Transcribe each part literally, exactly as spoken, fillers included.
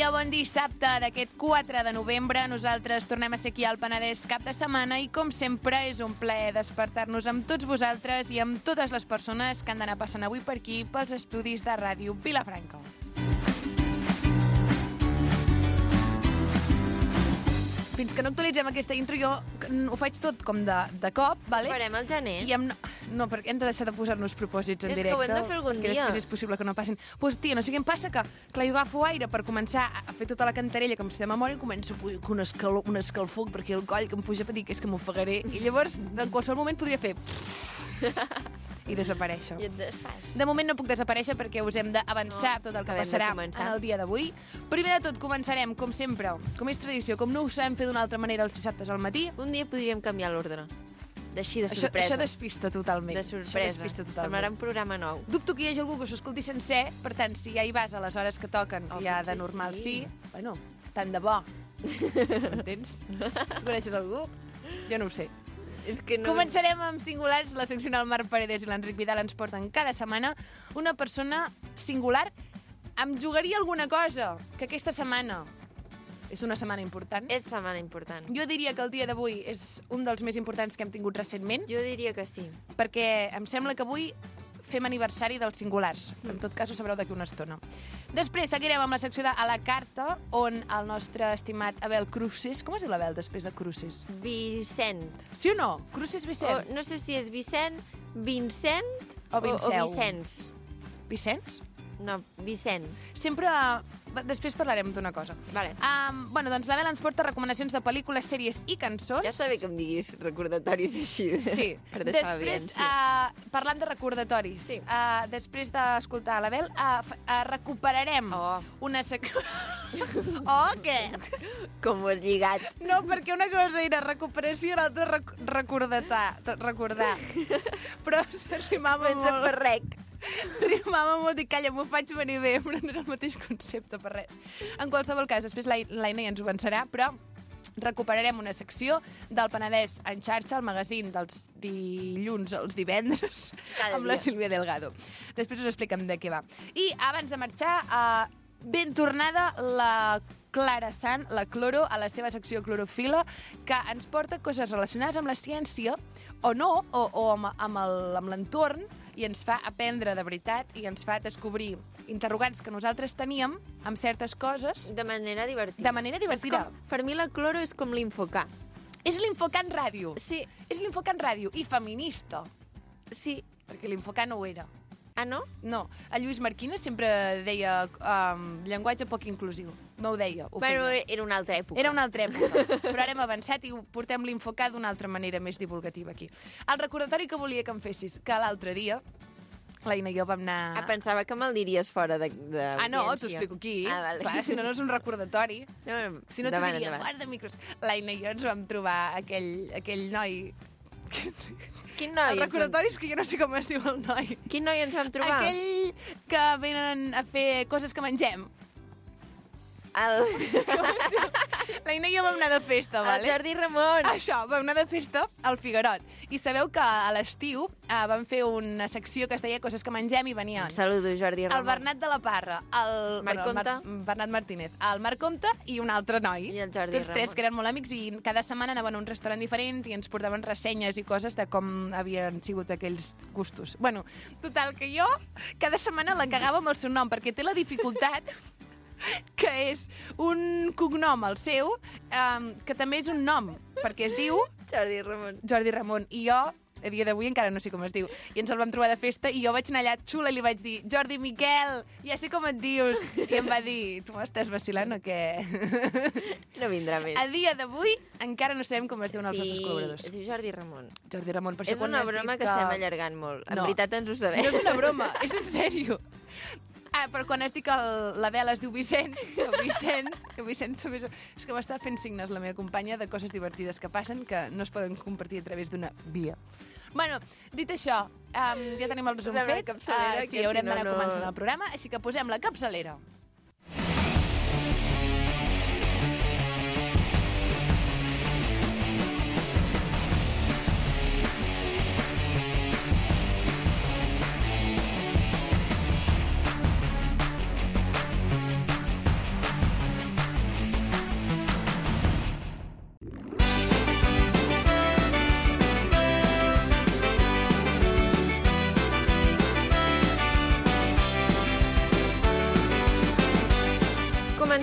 dia, bon dissabte d'aquest quatre de novembre. Nosaltres tornem a ser aquí al Penedès cap de setmana i, com sempre, és un plaer despertar-nos amb tots vosaltres i amb totes les persones que han d'anar passant avui per aquí pels estudis de Ràdio Vilafranca. Fins que no actualitzem aquesta intro, jo ho faig tot com de, de cop, vale? Ho farem al gener. I em, no, perquè hem de deixar de posar-nos propòsits en és directe. És que ho hem de fer algun dia. dia. Després és possible que no passin. Doncs, pues, tia, no sé què em passa, que clar, jo agafo aire per començar a fer tota la cantarella com si de memòria i començo a pujar un, escal, un escalfor per aquí al coll que em puja per dir que és que m'ofegaré. I llavors, en qualsevol moment, podria fer... i desaparèixer. I et desfas. De moment no puc desaparèixer perquè us hem d'avançar no, tot el que passarà en el dia d'avui. Primer de tot, començarem, com sempre, com és tradició, com no ho sabem fer d'una altra manera els dissabtes al matí. Un dia podríem canviar l'ordre. D'així, de això, sorpresa. això despista totalment. De sorpresa. Despista totalment. Semblarà un programa nou. Dubto que hi hagi algú que s'ho escolti sencer, per tant, si ja hi vas a les hores que toquen, oh, ja de normal sí. sí, bueno, tant de bo. Entens? Tu coneixes algú? Jo no ho sé. És que no... Començarem amb singulars. La seccional Marc Paredes i l'Enric Vidal ens porten cada setmana una persona singular. Em jugaria alguna cosa que aquesta setmana és una setmana important. És setmana important. Jo diria que el dia d'avui és un dels més importants que hem tingut recentment. Jo diria que sí. Perquè em sembla que avui fem aniversari dels singulars. En tot cas, ho sabreu d'aquí una estona. Després seguirem amb la secció de A la Carta, on el nostre estimat Abel Cruces... Com es diu l'Abel després de Cruces? Vicent. Sí o no? Cruces Vicent. O, no sé si és Vicent, Vincent o, o, o Vicenç. Vicenç? No, Vicent. Sempre... Després parlarem d'una cosa. Vale. Um, bueno, doncs l'Abel ens porta recomanacions de pel·lícules, sèries i cançons. Ja està bé que em diguis recordatoris així. Sí. Per deixar després, uh, parlant de recordatoris, sí. uh, després d'escoltar l'Abel, uh, uh, recuperarem oh. una secció... oh, què? Com ho has lligat? No, perquè una cosa era recuperació i l'altra rec recordatar, recordar. Però rimava molt. Pensa per rec. Rimava molt i calla, m'ho faig venir bé, però no era el mateix concepte per res. En qualsevol cas, després l'Aina ja ens ho avançarà, però recuperarem una secció del Penedès en xarxa, el magazín dels dilluns als divendres, cada amb dia. La Sílvia Delgado. Després us expliquem de què va. I abans de marxar, uh, ben tornada la Clara Sant, la Cloro, a la seva secció Clorofila, que ens porta coses relacionades amb la ciència, o no, o, o amb, amb l'entorn, i ens fa aprendre de veritat i ens fa descobrir interrogants que nosaltres teníem amb certes coses. De manera divertida. De manera divertida. Com, per mi la Cloro és com l'Infocà. És l'Infocà en ràdio. Sí. És l'Infocà en ràdio i feminista. Sí. Perquè l'Infocà no ho era. Ah, no? No. El Lluís Marquina sempre deia um, llenguatge poc inclusiu. No ho deia. Ho bueno, feia. Era una altra època. Era una altra època. Però ara hem avançat i ho portem l'Infocà d'una altra manera més divulgativa aquí. El recordatori que volia que em fessis, que l'altre dia l'Aina i jo vam anar... Ah, pensava que me'l diries fora de, de Ah, no, t'ho explico aquí. Ah, vale. Clar, si no, no és un recordatori. No, si no, t'ho diria fora de micros. L'Aina i jo ens vam trobar aquell, aquell noi... Quin noi? El recordatori és que jo no sé com es diu el noi. Quin noi ens vam trobar? Aquell que venen a fer coses que mengem. El... L'Aina i jo vam anar de festa, vale? El Jordi Ramon. Això, vam anar de festa al Figuerot. I sabeu que a l'estiu eh, vam fer una secció que es deia Coses que mengem i venien. Un saludo, Jordi Ramon. El Bernat de la Parra, el Marc bueno, el Comte. Mar Bernat Martínez, el Marc Comte i un altre noi. I el Jordi Tots tres, Ramon. que eren molt amics, i cada setmana anaven a un restaurant diferent i ens portaven ressenyes i coses de com havien sigut aquells gustos. Bueno, total, que jo cada setmana la cagava amb el seu nom, perquè té la dificultat que és un cognom, el seu, um, que també és un nom, perquè es diu... Jordi Ramon. Jordi Ramon. I jo, a dia d'avui, encara no sé com es diu. I ens el vam trobar de festa i jo vaig anar allà xula i li vaig dir: Jordi Miquel, ja sé com et dius. I em va dir: tu m'estàs vacilant o què? No vindrà més. A dia d'avui encara no sabem com es diuen els sí, nostres col·laboradors. es diu Jordi Ramon. Jordi Ramon. Per És una broma que... que estem allargant molt. En no. veritat ens ho sabem. No és una broma, és en sèrio. Ah, però quan es diu que la Bela es diu Vicent, que Vicent, que Vicent també és... És que m'està fent signes la meva companya de coses divertides que passen que no es poden compartir a través d'una via. Bueno, dit això, um, ja tenim el resum posem fet. Uh, sí, haurem si no, d'anar no... començant el programa, així que posem la capçalera.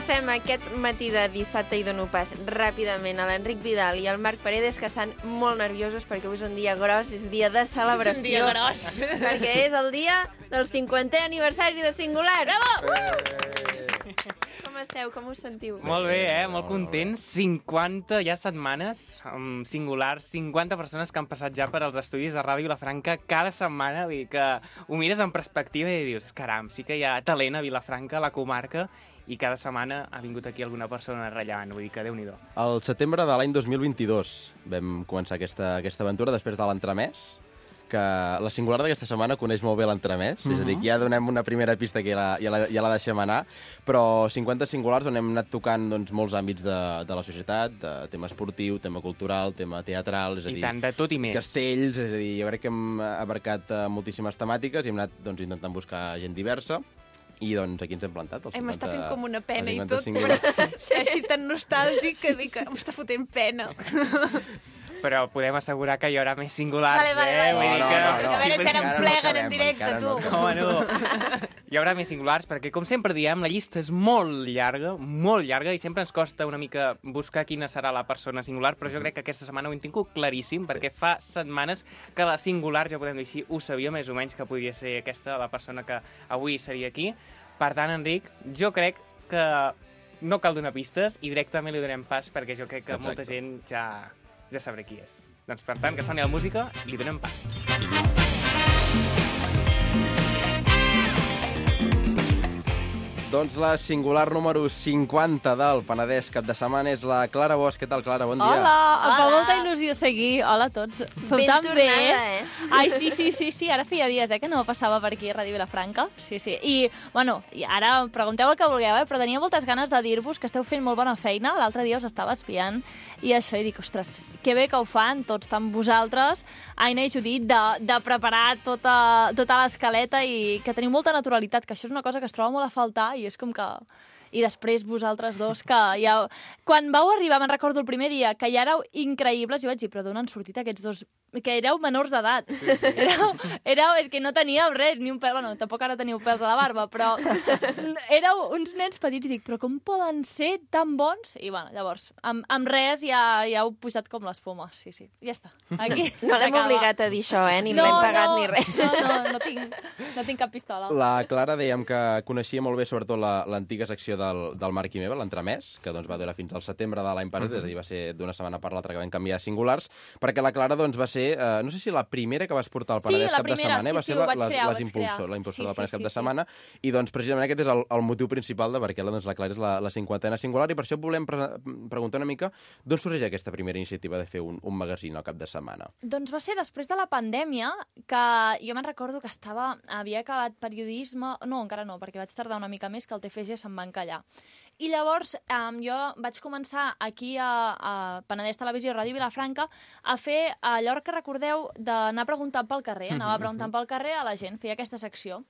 Comencem aquest matí de dissabte i dono pas ràpidament a l'Enric Vidal i al Marc Paredes, que estan molt nerviosos perquè avui és un dia gros, és dia de celebració. És un dia gros. Perquè és el dia del cinquantè aniversari de Singular. Bravo! Com esteu? Com us sentiu? Molt bé, eh? Molt contents. cinquanta ja setmanes amb Singulars, cinquanta persones que han passat ja per als estudis de Ràdio Vilafranca cada setmana. Vull dir que ho mires en perspectiva i dius, caram, sí que hi ha talent a Vilafranca, a la comarca, i cada setmana ha vingut aquí alguna persona rellevant. Vull dir que Déu-n'hi-do. Al setembre de l'any dos mil vint-i-dos vam començar aquesta, aquesta aventura després de l'entremès, que la Singular d'aquesta setmana coneix molt bé l'entremès, uh -huh. és a dir, que ja donem una primera pista que ja la, ja la, ja la deixem anar, però cinquanta Singulars on hem anat tocant doncs, molts àmbits de, de la societat, de tema esportiu, tema cultural, tema teatral, és a I dir, tant, de tot i més. castells, és a dir, jo crec que hem abarcat uh, moltíssimes temàtiques i hem anat doncs, intentant buscar gent diversa, i doncs aquí ens hem plantat. Ai, m'està fent com una pena i tot, Singulars. però així tan nostàlgic que dic que m'està fotent pena. Però podem assegurar que hi haurà més Singulars, Vale, vale, eh? vale. Vull dir No, que... no, no. A veure si ara Encara em no pleguen acabem, en directe, encara tu. no Home, no. Hi haurà més Singulars perquè, com sempre diem, la llista és molt llarga, molt llarga, i sempre ens costa una mica buscar quina serà la persona singular, però jo crec que aquesta setmana ho hem tingut claríssim, perquè fa setmanes que la Singular, ja podem dir així, ho sabia més o menys que podria ser aquesta, la persona que avui seria aquí. Per tant, Enric, jo crec que no cal donar pistes i directament li donem pas, perquè jo crec que Exacte. molta gent ja, ja sabrà qui és. Doncs, per tant, que soni la música, li donem pas. Doncs la Singular número cinquanta del Penedès cap de setmana és la Clara Bosch. Què tal, Clara? Bon dia. Hola, em fa Hola. molta il·lusió seguir. Hola a tots. Feu Ben tan bé. tornada, eh? Ai, sí, sí, sí, sí, ara feia dies eh, que no passava per aquí a Ràdio Vilafranca. Sí, sí. I, bueno, i ara pregunteu el que vulgueu, eh, però tenia moltes ganes de dir-vos que esteu fent molt bona feina. L'altre dia us estava espiant i això, i dic, ostres, que bé que ho fan tots, tant vosaltres, Aina i Judit, de, de preparar tota, tota l'escaleta i que teniu molta naturalitat, que això és una cosa que es troba molt a faltar i és com que... I després vosaltres dos, que ja... Quan vau arribar, me'n recordo el primer dia, que ja éreu increïbles, i vaig dir, però d'on han sortit aquests dos? Que éreu menors d'edat. Sí, sí. Éreu, éreu, és que no teníeu res, ni un pèl, bueno, tampoc ara teniu pèls a la barba, però éreu uns nens petits, i dic, però com poden ser tan bons? I, bueno, llavors, amb, amb res ja, ja heu pujat com l'espuma, sí, sí, ja està. Aquí No l'hem s'acaba. obligat a dir això, eh? Ni no, l'hem pagat no, ni res. No, no, no tinc, no tinc cap pistola. La Clara dèiem que coneixia molt bé sobretot la- l'antiga secció del, del Marc i Meva, l'entremès, que doncs, va durar fins al setembre de l'any passat, uh -huh. és a dir, va ser d'una setmana per l'altra que vam canviar a Singulars, perquè la Clara doncs, va ser, eh, no sé si la primera que vas portar al Sí, Penedès la cap de primera, setmana, eh? sí, va sí, ser ho la, vaig les, crear, ho les vaig impulsor, crear. la impulsor Sí, del Penedès sí, cap sí, de sí. setmana, i doncs precisament aquest és el, el motiu principal de perquè la, doncs, la Clara és la, la cinquantena Singular, i per això volem pre preguntar una mica d'on sorgeix aquesta primera iniciativa de fer un, un magazín al cap de setmana. Doncs va ser després de la pandèmia, que jo me'n recordo que estava, havia acabat periodisme... No, encara no, perquè vaig tardar una mica més, que el T F G se'm va encallar. I llavors um, jo vaig començar aquí a, a Penedès Televisió i Ràdio Vilafranca a fer allò que recordeu d'anar preguntant pel carrer. Anava preguntant pel carrer a la gent, feia aquesta secció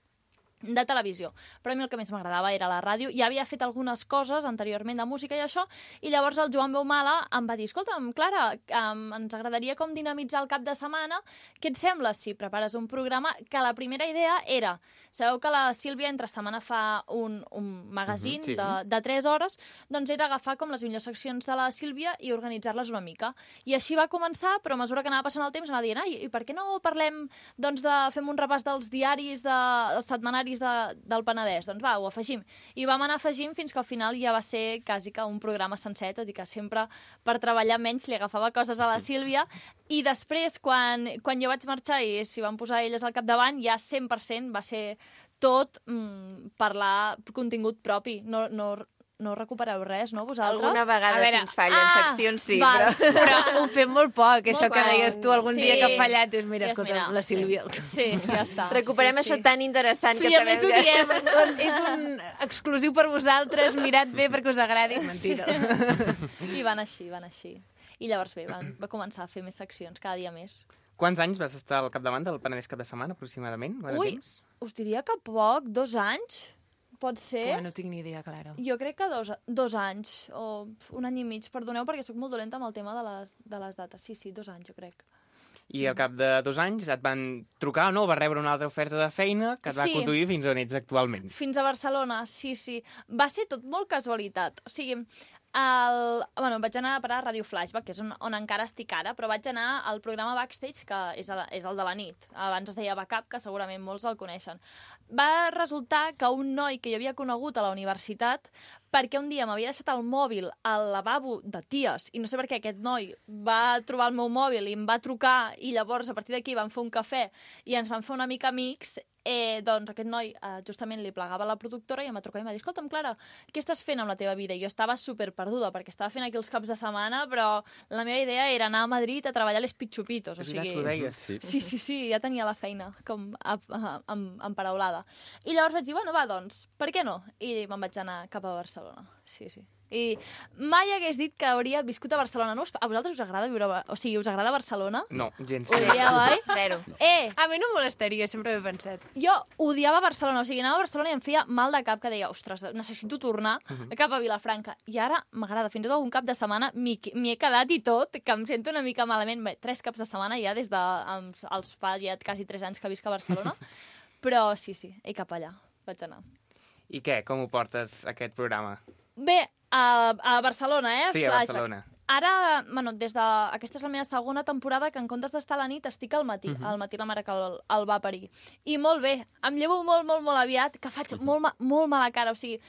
de televisió. Però a mi el que més m'agradava era la ràdio. Ja havia fet algunes coses anteriorment de música i això, i llavors el Joan Beumala em va dir, escolta'm, Clara, um, ens agradaria com dinamitzar el cap de setmana. Què et sembla si prepares un programa? Que la primera idea era, sabeu que la Sílvia entre setmana fa un, un magazín Mhm, sí. de, de tres hores, doncs era agafar com les millors seccions de la Sílvia i organitzar-les una mica. I així va començar, però a mesura que anava passant el temps anava dient, ai, i per què no parlem, doncs, de, fem un repàs dels diaris, de, dels setmanaris de, del Penedès? Doncs va, ho afegim. I vam anar afegint fins que al final ja va ser quasi que un programa sencer, tot i que sempre per treballar menys li agafava coses a la Sílvia. I després, quan, quan jo vaig marxar i s'hi van posar elles al capdavant, ja cent per cent va ser tot mm, parlar contingut propi. No, no, no recupereu res, no, vosaltres? Alguna vegada A veure, si ens fallen ah, seccions, sí, val. però... Però ho fem molt poc, això Molt que poc. deies tu algun Sí. dia que ha fallat. Dius, mira, Dius, escolta, mira, la Sílvia... Sí, ja està. Recuperem sí, això sí. tan interessant Sí, que a sabem més ho que... diem. És un exclusiu per vosaltres, mirat bé perquè us agradi. Mentida. I van així, van així. I llavors bé, van, va començar a fer més seccions, cada dia més. Quants anys vas estar al capdavant del Penedès cap de setmana, aproximadament? Quant de Ui, temps? us diria que poc, dos anys, pot ser. Home, no tinc ni idea, Clara. Jo crec que dos, dos anys, o un any i mig. Perdoneu perquè sóc molt dolenta amb el tema de les, de les dates. Sí, sí, dos anys, jo crec. I al cap de dos anys et van trucar o no? Vas rebre una altra oferta de feina que et va Sí. conduir fins on ets actualment. Fins a Barcelona, sí, sí. Va ser tot molt casualitat. O sigui, el... bueno, vaig anar a parar a Ràdio Flashback, que és on, on encara estic ara, però vaig anar al programa Backstage, que és, a, és el de la nit. Abans es deia Backup, que segurament molts el coneixen. Va resultar que un noi que jo havia conegut a la universitat, perquè un dia m'havia deixat el mòbil al lavabo de ties, i no sé per què aquest noi va trobar el meu mòbil i em va trucar, i llavors a partir d'aquí vam fer un cafè i ens vam fer una mica amics. Eh, doncs aquest noi eh, justament li plegava a la productora i em va trucar i em va dir: escolta'm, Clara, què estàs fent amb la teva vida? I jo estava super perduda, perquè estava fent aquí els caps de setmana, però la meva idea era anar a Madrid a treballar a les Pitxupitos. O És veritat sigui... que ho deies. Sí. Sí, sí, sí, ja tenia la feina com a, a, a, emparaulada. I llavors vaig dir, bueno, va, doncs, per què no? I me'n vaig anar cap a Barcelona. Sí, sí. I mai hagués dit que hauria viscut a Barcelona. No? A vosaltres us agrada viure... A... O sigui, us agrada Barcelona? No, gens. Ho dieu, oi? Zero. Eh, A mi no em molestaria, sempre ho he pensat. jo odiava Barcelona, o sigui, anava a Barcelona i em feia mal de cap, que deia, ostres, necessito tornar cap a Vilafranca. I ara m'agrada, fins i tot algun cap de setmana m'hi m'hi he quedat i tot, que em sento una mica malament. Bé, tres caps de setmana ja des de... Els, els fa ja quasi tres anys que visc a Barcelona. Però sí, sí, i cap allà vaig anar. I què? Com ho portes, aquest programa? Bé, a, a Barcelona, eh? Sí, a Flashback. Barcelona. Ara, bueno, des de... Aquesta és la meva segona temporada que en comptes d'estar a la nit estic al matí. Uh -huh. Al matí la mare que el, el va parir. I molt bé, em llevo molt, molt, molt aviat, que faig uh -huh. molt, ma molt mala cara. O sigui,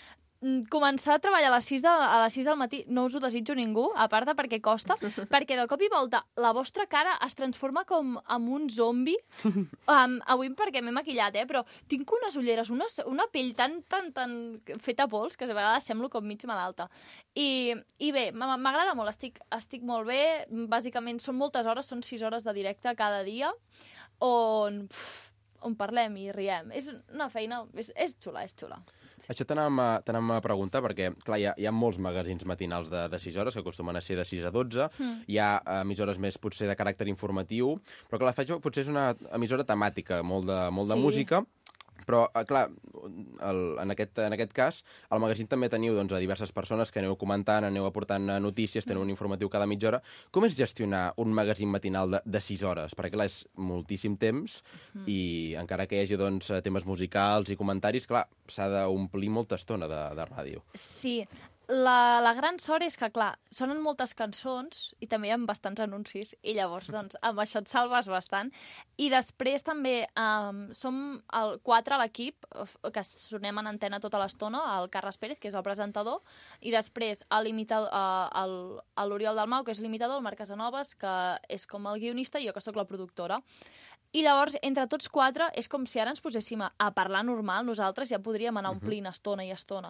començar a treballar a les sis, de, a les sis del matí no us ho desitjo ningú, a part de perquè costa, perquè de cop i volta la vostra cara es transforma com en un zombi. Um, avui perquè m'he maquillat, eh? Però tinc unes ulleres, una, una pell tan, tan, tan feta pols que a vegades semblo com mig malalta. I, i bé, m'agrada molt, estic, estic molt bé. Bàsicament són moltes hores, són sis hores de directe cada dia, on, pff, on parlem i riem. És una feina, és, és xula, és xula. Sí. Això t'anàvem a, t'anàvem a preguntar, perquè clar, hi ha, hi ha molts magazins matinals de, de sis hores, que acostumen a ser de sis a dotze, mm. hi ha emissores més potser de caràcter informatiu, però clar, la Flashback potser és una emissora temàtica, molt de, molt de Sí. música, però, clar, el, en, aquest, en aquest cas, al magazín també teniu doncs, a diverses persones que aneu comentant, aneu aportant notícies, teniu un informatiu cada mitja hora. Com és gestionar un magazín matinal de, de sis hores? Perquè, clar, és moltíssim temps mm. i encara que hi hagi doncs, temes musicals i comentaris, clar, s'ha d'omplir molta estona de, de ràdio. Sí, la, la gran sort és que, clar, sonen moltes cançons i també hi ha bastants anuncis i llavors, doncs, amb això et salves bastant. I després també um, som el quatre a l'equip, que sonem en antena tota l'estona, el Carles Pérez, que és el presentador, i després l'Oriol Dalmau, que és l'imitador, el Marc Casanovas, que és com el guionista, i jo, que sóc la productora. I llavors, entre tots quatre, és com si ara ens poséssim a, a parlar normal, nosaltres ja podríem anar omplint estona i estona.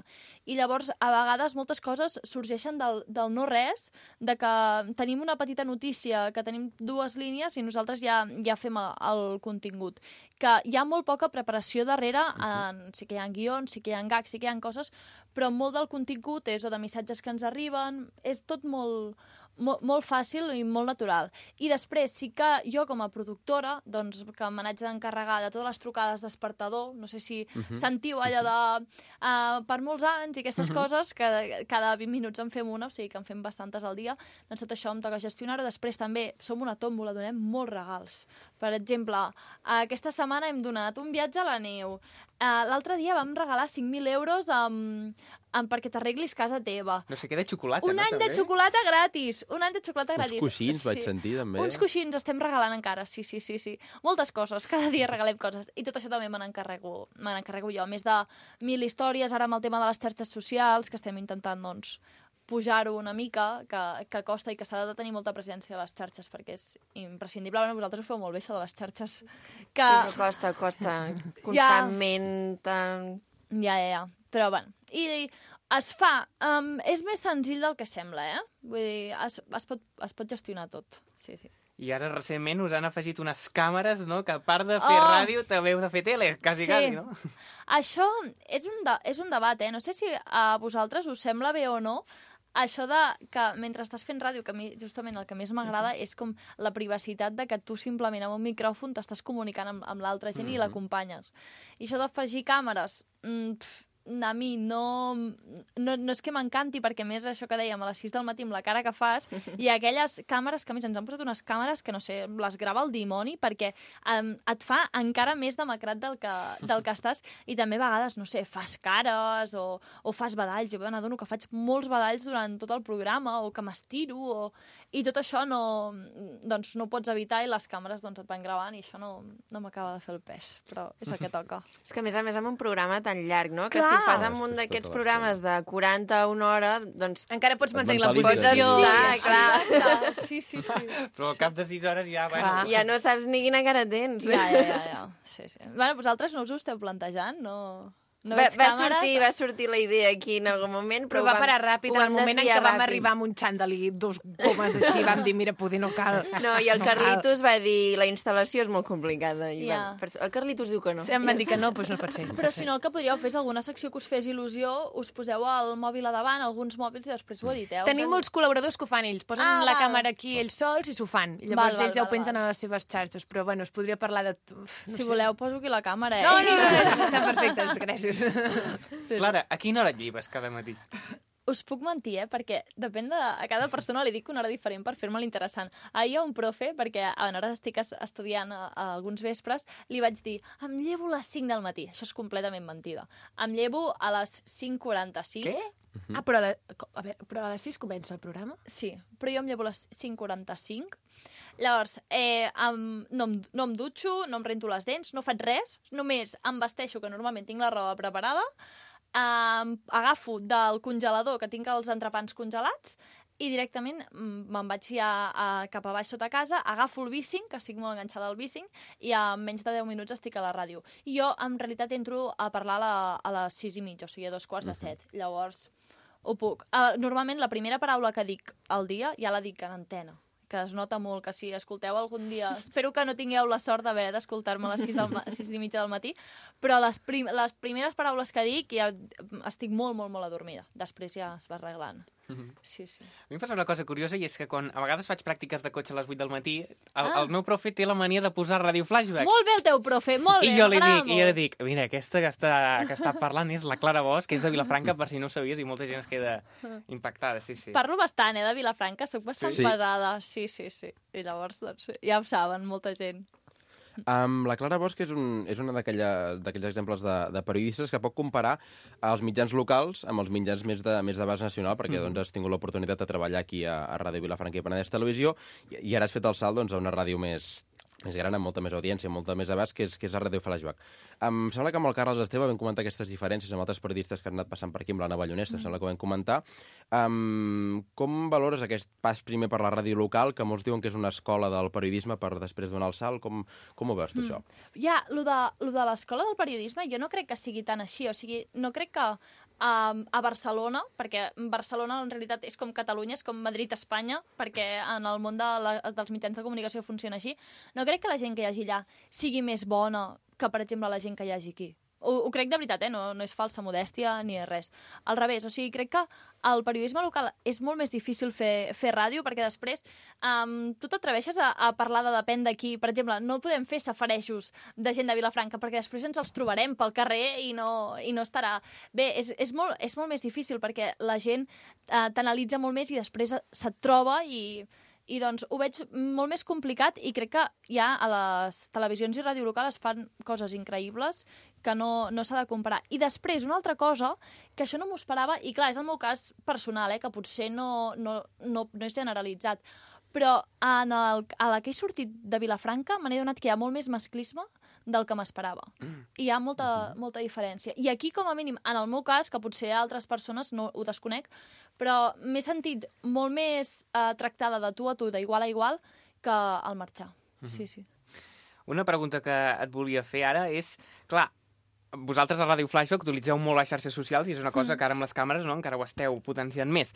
I llavors, a vegades, moltes coses sorgeixen del, del no-res, de que tenim una petita notícia, que tenim dues línies i nosaltres ja, ja fem el, el contingut. Que hi ha molt poca preparació darrere, en, sí que hi ha guions, sí que hi ha gags, sí que hi ha coses, però molt del contingut és o de missatges que ens arriben, és tot molt... Molt, molt fàcil i molt natural. I després sí que jo com a productora, doncs, que me n'haig d'encarregar de totes les trucades despertador, no sé si uh -huh. sentiu allò de uh, per molts anys i aquestes uh -huh. coses, que cada vint minuts en fem una, o sigui que en fem bastantes al dia, doncs tot això em toca gestionar-ho. Després també som una tòmbola, donem molts regals. Per exemple, aquesta setmana hem donat un viatge a la neu. Uh, L'altre dia vam regalar cinc mil euros amb, amb perquè t'arreglis casa teva. No sé què de xocolata, Un no? any també? de xocolata gratis! Un any de xocolata gratis. Uns coixins, vaig sentir, també. Uns coixins estem regalant encara, sí, sí, sí, sí. Moltes coses, cada dia regalem coses. I tot això també me n'encarrego me n'encarrego jo. A més de mil històries, ara amb el tema de les xarxes socials, que estem intentant, doncs, pujar-ho una mica, que, que costa i que s'ha de tenir molta presència a les xarxes, perquè és imprescindible. Bueno, vosaltres ho feu molt bé, això de les xarxes. Que... Sí, però costa, costa. Constantment. Tan... Ja, ja, ja. Però, bueno, i, i es fa. Um, és més senzill del que sembla, eh? Vull dir, es, es, pot, es pot gestionar tot. Sí, sí. I ara recentment us han afegit unes càmeres, no?, que a part de fer Oh! ràdio també heu de fer tele, quasi, Sí. quasi, no? Això és un, de, és un debat, eh? No sé si a vosaltres us sembla bé o no, això de que mentre estàs fent ràdio, que a mi justament el que més m'agrada és com la privacitat de que tu simplement amb un micròfon t'estàs comunicant amb, amb l'altra gent mm -hmm. i l'acompanyes. I això d'afegir càmeres, mm, pf, a mi no, no, no és que m'encanti, perquè a més això que dèiem, a les sis del matí amb la cara que fas, i aquelles càmeres que a més ens han posat unes càmeres que no sé, les grava el dimoni, perquè um, et fa encara més demacrat del que, del que estàs, i també a vegades, no sé, fas cares o, o fas badalls. Jo m'adono que faig molts badalls durant tot el programa, o que m'estiro, o... i tot això no, doncs, no ho pots evitar, i les càmeres doncs, et van gravant, i això no, no m'acaba de fer el pes, però és el que toca. És que a més a més amb un programa tan llarg, no? Que Clar. si ho fas amb És un que és d'aquests tota programes de quaranta a una hora, doncs... Encara pots Et mantenir la mentalitzes. posició. Sí, Sí, clar. Clar, sí, sí, sí. Però al cap de sis hores ja, Clar. bueno... Ja no saps ni quina cara tens. Ja, ja, ja, ja. Sí, sí. Bueno, vosaltres no us ho esteu plantejant? No, no Va, veig va, càmeres? sortir, va sortir la idea aquí en algun moment, però, Però va ho vam- parar ràpid, ho en el vam moment en desviar què vam ràpid. arribar amb un xandall i dos gomes així, vam dir, mira, poder no cal. No, i el no cal. Carlitos va dir la instal·lació és molt complicada. I Ja. vam, per- el Carlitos diu que no. Sí, em van dir que no, doncs no pot ser. Però si no, el que podríeu fer és alguna secció que us fes il·lusió, us poseu el mòbil a davant, alguns mòbils, i després ho editeu. Tenim molts col·laboradors que ho fan ells, posen Ah, la val. càmera aquí ells sols i s'ho fan. I Val, llavors val, ells ja ho val, pengen val. a les seves xarxes, però bueno, es podria parlar de... Uf, no Si sé. voleu, poso aquí la càmera, eh? No, no, no, estan perfectes, gràcies. Clara, a quina hora et llibes cada matí? Us puc mentir, eh? Perquè depèn de... A cada persona li dic una hora diferent per fer-me l'interessant. Ahir hi ha un profe, perquè ara estic est- estudiant a, a alguns vespres, li vaig dir, em llevo a les cinc del matí. Això és completament mentida. Em llevo a les cinc quaranta-cinc. Què? Ah, però a, la, a, veure, però a les sis comença el programa? Sí, però jo em llevo a les cinc quaranta-cinc. Llavors, eh, em, no, em, no em dutxo, no em rento les dents, no faig res, només em vesteixo, que normalment tinc la roba preparada, eh, agafo del congelador, que tinc els entrepans congelats, i directament mm, me'n vaig ja a, cap a baix sota casa, agafo el bicing, que estic molt enganxada al bicing, i en menys de deu minuts estic a la ràdio. I jo, en realitat, entro a parlar a, la, a les sis i mitja, o sigui, a dos quarts de set. Llavors, ho puc. Uh, normalment, la primera paraula que dic al dia ja la dic en antena, que es nota molt, que si escolteu algun dia... Espero que no tingueu la sort d'haver d'escoltar-me a les sis, del ma... sis i mitja del matí, però les, prim... les primeres paraules que dic ja estic molt, molt, molt adormida. Després ja es va arreglant. Sí, sí. A mi em passa una cosa curiosa, i és que quan a vegades faig pràctiques de cotxe a les vuit del matí, el, Ah. el meu profe té la mania de posar ràdio flashback. Molt bé el teu profe, molt bé, I jo li m'agrada dic, i jo li molt. dic, mira, aquesta que està, que està parlant és la Clara Bosch, que és de Vilafranca, per si no ho sabies, i molta gent es queda impactada, sí, sí. Parlo bastant, eh, de Vilafranca, sóc bastant Sí. pesada. Sí, sí, sí. I llavors, doncs, ja ho saben, molta gent. Um, la Clara Bosch és, un, és una d'aquella- d'aquells exemples de, de periodistes que pot comparar els mitjans locals amb els mitjans més de, més de base nacional, perquè doncs, has tingut l'oportunitat de treballar aquí a, a Ràdio Vilafranca i Penedès Televisió, i, i ara has fet el salt doncs, a una ràdio més, més gran, amb molta més audiència, amb molta més abast, que és, que és a Ràdio Flashback. Em sembla que amb el Carles Esteve vam comentar aquestes diferències amb altres periodistes que han anat passant per aquí, amb l'Anna Ballonesta, mm. sembla que ho vam comentar. Um, com valores aquest pas primer per la ràdio local, que molts diuen que és una escola del periodisme per després donar el salt? Com, com ho veus, tu, mm. això? Ja, lo de, lo de l'escola del periodisme jo no crec que sigui tan així, o sigui, no crec que um, a Barcelona, perquè Barcelona en realitat és com Catalunya, és com Madrid-Espanya, perquè en el món de la, dels mitjans de comunicació funciona així, no crec que la gent que hi hagi allà sigui més bona que, per exemple, la gent que hi hagi aquí. Ho, ho crec de veritat, eh? no, no és falsa modèstia ni res. Al revés, o sigui, crec que el periodisme local és molt més difícil fer, fer ràdio, perquè després um, tu t'atreveixes a, a parlar de depèn d'aquí. Per exemple, no podem fer safarejos de gent de Vilafranca, perquè després ens els trobarem pel carrer i no, i no estarà... Bé, és, és, molt, és molt més difícil, perquè la gent uh, t'analitza molt més i després se't troba i... I doncs ho veig molt més complicat i crec que ja a les televisions i ràdio local es fan coses increïbles que no, no s'ha de comparar. I després, una altra cosa, que això no m'ho esperava, i clar, és el meu cas personal, eh, que potser no, no, no, no és generalitzat, però en el, a la que he sortit de Vilafranca me n'he donat que hi ha molt més masclisme del que m'esperava. Mm. I hi ha molta, mm-hmm. molta diferència. I aquí, com a mínim, en el meu cas, que potser a altres persones no ho desconec, però m'he sentit molt més eh, tractada de tu a tu, d'igual a igual, que al marxar. Mm-hmm. Sí, sí. Una pregunta que et volia fer ara és, clar, vosaltres a Ràdio Flashback utilitzeu molt les xarxes socials i és una cosa mm. que ara amb les càmeres no, encara ho esteu potenciant més.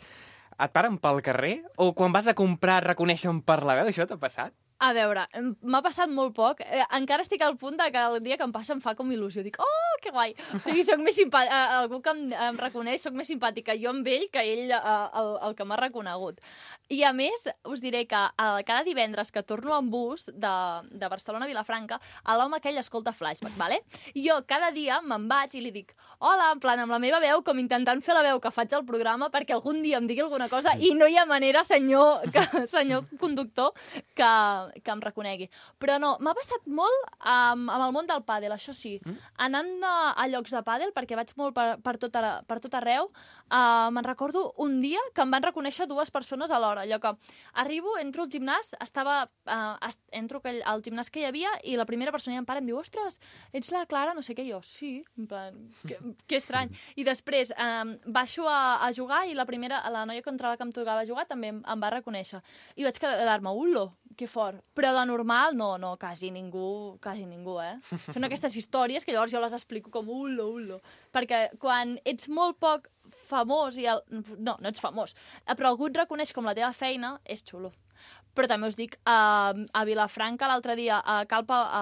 Et paren pel carrer o quan vas a comprar et reconeixen per la veu? Això t'ha passat? A veure, m'ha passat molt poc. Eh, encara estic al punt de que el dia que em passa em fa com il·lusió. Dic, oh, que guai! O sigui, soc més simpàtica. Eh, algú que em, em reconeix, soc més simpàtica jo amb ell que ell, eh, el, el que m'ha reconegut. I a més, us diré que eh, cada divendres que torno en bus de, de Barcelona a Vilafranca, l'home aquell escolta Flashback, vale? I jo cada dia me'n vaig i li dic, hola, en plan, amb la meva veu, com intentant fer la veu que faig al programa perquè algun dia em digui alguna cosa i no hi ha manera, senyor, que, senyor conductor, que que em reconegui. Però no, m'ha passat molt um, amb el món del pàdel, això sí. Mm? Anant a, a llocs de pàdel, perquè vaig molt per, per, tot, ara, per tot arreu, uh, me'n recordo un dia que em van reconèixer dues persones alhora. Allò que arribo, entro al gimnàs, estava, uh, est, entro aquell, al gimnàs que hi havia i la primera persona em para i em diu, ostres, ets la Clara, no sé què, jo, sí, en plan, que, que estrany. I després um, baixo a, a jugar i la primera, la noia contra la que em tocava jugar també em, em va reconèixer. I vaig quedar-me, ullo, que fort. Però de normal, no, no, quasi ningú, quasi ningú, eh? Són aquestes històries que llavors jo les explico com ullo, ullo. Perquè quan ets molt poc famós i el... No, no ets famós, però algú et reconeix com la teva feina, és xulo. Però també us dic, a, a Vilafranca l'altre dia, a Calpa, a,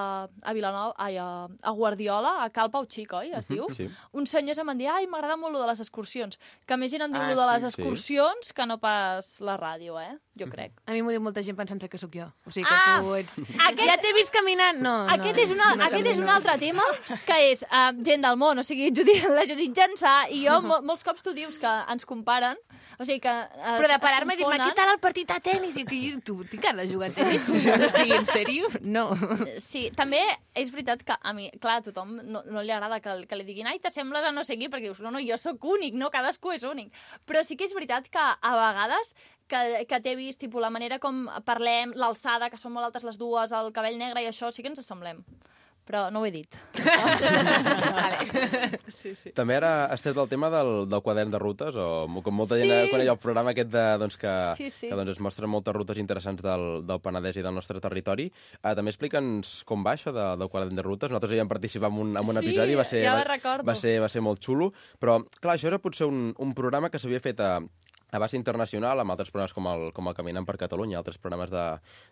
a Vilanova, ai, a, a Guardiola, a Calpa Xic, oi, es diu? Sí. Uns senyors em van dir, ai, m'agrada molt lo de les excursions. Que més gent em diu Ah, lo de les sí, excursions que no pas la ràdio, eh? Jo crec. A mi m'ho diu molta gent pensant que sóc jo. O sigui que Ah, tu ets... aquest- Ja t'he vist caminant? No, no. Aquest és, una, no aquest és un camino. altre tema, que és uh, gent del món, o sigui, Judit, la Judit Jansà, i jo, mo molts cops tu dius que ens comparen, o sigui que uh, Però de parar-me i dir-me, què tal el partit de tenis? I que tu, tinc cara de jugar a tenis? O sigui, en sèrio? No. Sí, també és veritat que a mi, clar, a tothom no, no li agrada que, que li diguin ai, t'assembles a no sé qui, perquè dius, no, no, jo sóc únic, no, cadascú és únic. Però sí que és veritat que a vegades que, que t'he vist, tipus, la manera com parlem, l'alçada, que són molt altes les dues, el cabell negre i això, sí que ens assemblem. Però no ho he dit. Vale. Sí, sí. També ara has tret el tema del, del quadern de rutes, o com molta gent Sí. coneix el programa aquest de, doncs, que, Sí, sí. que doncs, es mostren moltes rutes interessants del, del Penedès i del nostre territori. Uh, també explica'ns com va això de, del quadern de rutes. Nosaltres hi vam participar en un, en un Sí, episodi, va ser, ja ho va, recordo. va, ser, va ser molt xulo, però clar, això era potser un, un programa que s'havia fet a, abast internacional, amb altres programes com el, com el Caminant per Catalunya, altres programes de,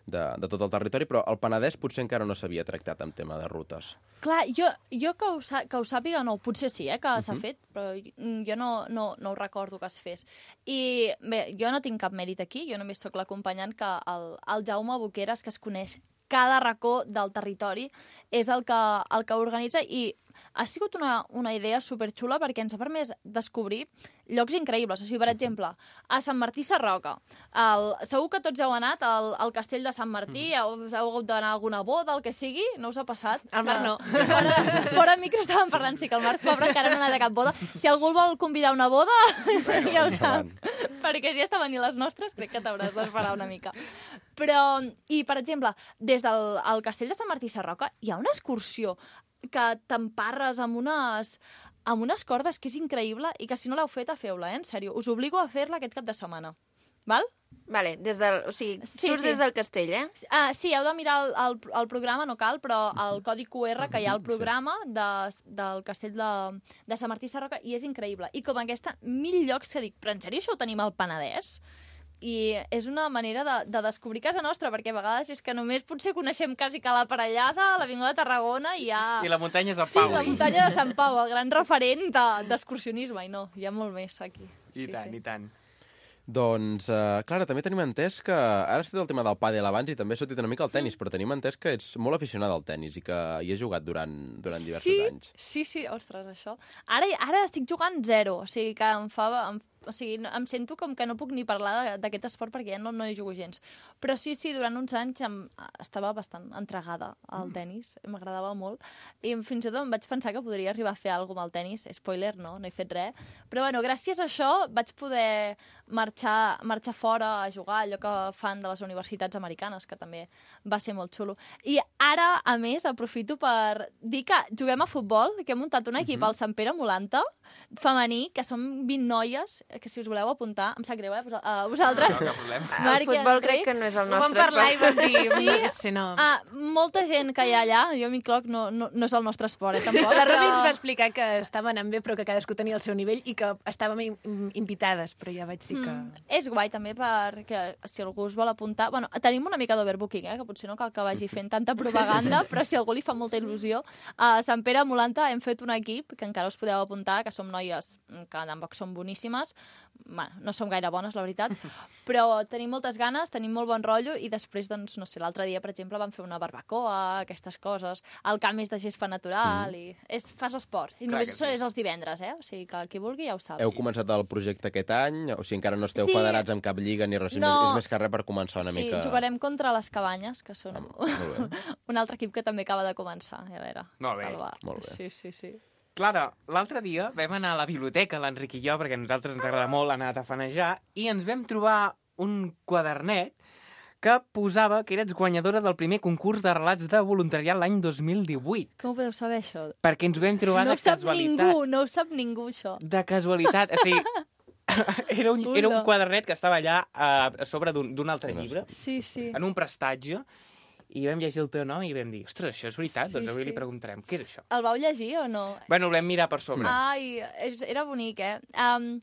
de, de tot el territori, però el Penedès potser encara no s'havia tractat en tema de rutes. Clar, jo, jo que, ho, sa- que ho sàpiga, no, potser sí, eh, que s'ha fet, però jo no, no, no ho recordo que es fes. I bé, jo no tinc cap mèrit aquí, jo només sóc l'acompanyant que el, el Jaume Boqueras, que es coneix cada racó del territori, és el que, el que organitza i ha sigut una, una idea superxula perquè ens ha permès descobrir llocs increïbles. O sigui, per exemple, a Sant Martí Sarroca. El, segur que tots heu anat al, al castell de Sant Martí, heu, heu hagut d'anar a alguna boda, el que sigui, no us ha passat? El Marc no. Fora, fora micro estàvem parlant, sí, que el Marc, pobre, encara no ha anat a cap boda. Si algú el vol convidar a una boda, bueno, ja ho sap. Perquè si ja estaven i les nostres, crec que t'hauràs d'esperar una mica. Però, i per exemple, des del el castell de Sant Martí Sarroca hi ha una excursió que t'emparres amb unes, amb unes cordes que és increïble i que si no l'heu feta, feu-la, eh? En sèrio. Us obligo a fer-la aquest cap de setmana. Val? Vale, des del, o sigui, Sí, surts sí. des del castell, eh? Uh, sí, heu de mirar el, el, el programa, no cal, però el codi Q R que hi ha al programa de, del castell de, de Sant Martí Sarroca i és increïble. I com aquesta, mil llocs que dic, però en sèrio això ho tenim al Penedès? I és una manera de, de descobrir casa nostra, perquè a vegades és que només potser coneixem quasi que la Parellada, l'Avinguda de Tarragona i ja... I la muntanya és el Sí, Pau. la muntanya de Sant Pau, el gran referent de- d'excursionisme, i no, hi ha molt més aquí. I tant, i tant. Doncs, uh, Clara, també tenim entès que... Ara has dit el tema del pàdel abans i també has sortit una mica al tennis, però tenim entès que ets molt aficionada al tennis i que hi has jugat durant, durant diversos sí, anys. Sí, sí, ostres, això. Ara, ara estic jugant zero, o sigui que em fa... Em, o sigui, no- em sento com que no puc ni parlar de- d'aquest esport perquè ja no, no hi jugo gens. Però sí, sí, durant uns anys em, estava bastant entregada al tennis, m'agradava molt, i fins i tot em vaig pensar que podria arribar a fer alguna cosa amb el tennis. Spoiler, no, no he fet res. Però bueno, gràcies a això vaig poder marxar, marxar fora a jugar, allò que fan de les universitats americanes, que també va ser molt xulo. I ara, a més, aprofito per dir que juguem a futbol, que hem muntat un equip al Sant Pere Molanta, femení, que som vint noies, que si us voleu apuntar, em sap greu, eh, a vosaltres. No, cap problema. El futbol crec que no és el Ho vam nostre parlar i esport. vam dir... Sí. Sí, no. Ah, molta gent que hi ha allà, jo m'incloc, no, no, no és el nostre esport, eh, tampoc. La Romi ens va però... explicar que estava anant bé, però que cadascú tenia el seu nivell i que estàvem in- invitades, però ja vaig dir que... Mm, és guai també perquè si algú us vol apuntar... Bueno, tenim una mica d'overbooking, eh, que potser no cal que vagi fent tanta propaganda, però si a algú li fa molta il·lusió, a Sant Pere Molanta hem fet un equip que encara us podeu apuntar, que som noies que tampoc són boníssimes, bueno, no som gaire bones, la veritat, però tenim moltes ganes, tenim molt bon rotllo i després, doncs, no sé, l'altre dia, per exemple, vam fer una barbacoa, aquestes coses, el camp és de gespa natural mm. i és, fas esport. I Clar només que això sí. és els divendres, eh? O sigui que qui vulgui ja ho sap. Heu començat el projecte aquest any? O sigui, encara no esteu Sí. federats amb cap lliga ni res? No. És, és més que res per començar una sí, mica... jugarem contra les Cabanyes, que són Ah, molt bé. un altre equip que també acaba de començar. A veure, Molt bé, tal va. molt bé. Sí, sí, sí. Clara, l'altre dia vam anar a la biblioteca, l'Enric i jo, perquè a nosaltres ens agrada molt anar a tafanejar, i ens vam trobar un quadernet que posava que eres guanyadora del primer concurs de relats de voluntariat l'any dos mil divuit. Com ho podeu saber, això? Perquè ens vam trobar No de ho sap casualitat. ningú, no ho sap ningú, això. De casualitat. O sigui, era un, era un Ula. quadernet que estava allà a, a sobre d'un d'un altre No sé. llibre, Sí, sí. en un prestatge, i vam llegir el teu nom i vam dir, ostres, això és veritat? Sí, doncs avui sí. li preguntarem, què és això? El vau llegir o no? Bueno, ho vam mirar per sobre. Ai, és, era bonic, eh? Um,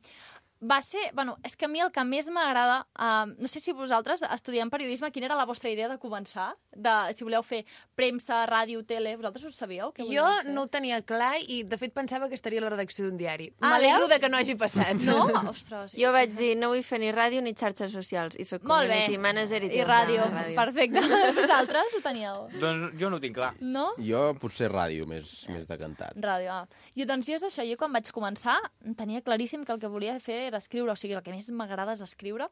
va ser... Bueno, és que a mi el que més m'agrada... Um, no sé si vosaltres, estudiant periodisme, quina era la vostra idea de començar? De, si voleu fer premsa, ràdio, tele... Vosaltres ho sabíeu? Què Jo volíeu fer? no ho tenia clar i, de fet, pensava que estaria a la redacció d'un diari. Ah, M'alegro veus? de que no hagi passat. No? Ostres. Jo vaig dir, no vull fer ni ràdio ni xarxes socials, i soc Molt bé. community manager i, I tinc ràdio, una ràdio. perfecte. Vosaltres ho teníeu? Doncs jo no ho tinc clar. No? Jo potser ràdio, més, més decantat. Ràdio, ah. I doncs jo és això, jo quan vaig començar tenia claríssim que el que volia fer era escriure, o sigui, el que més m'agrada és escriure,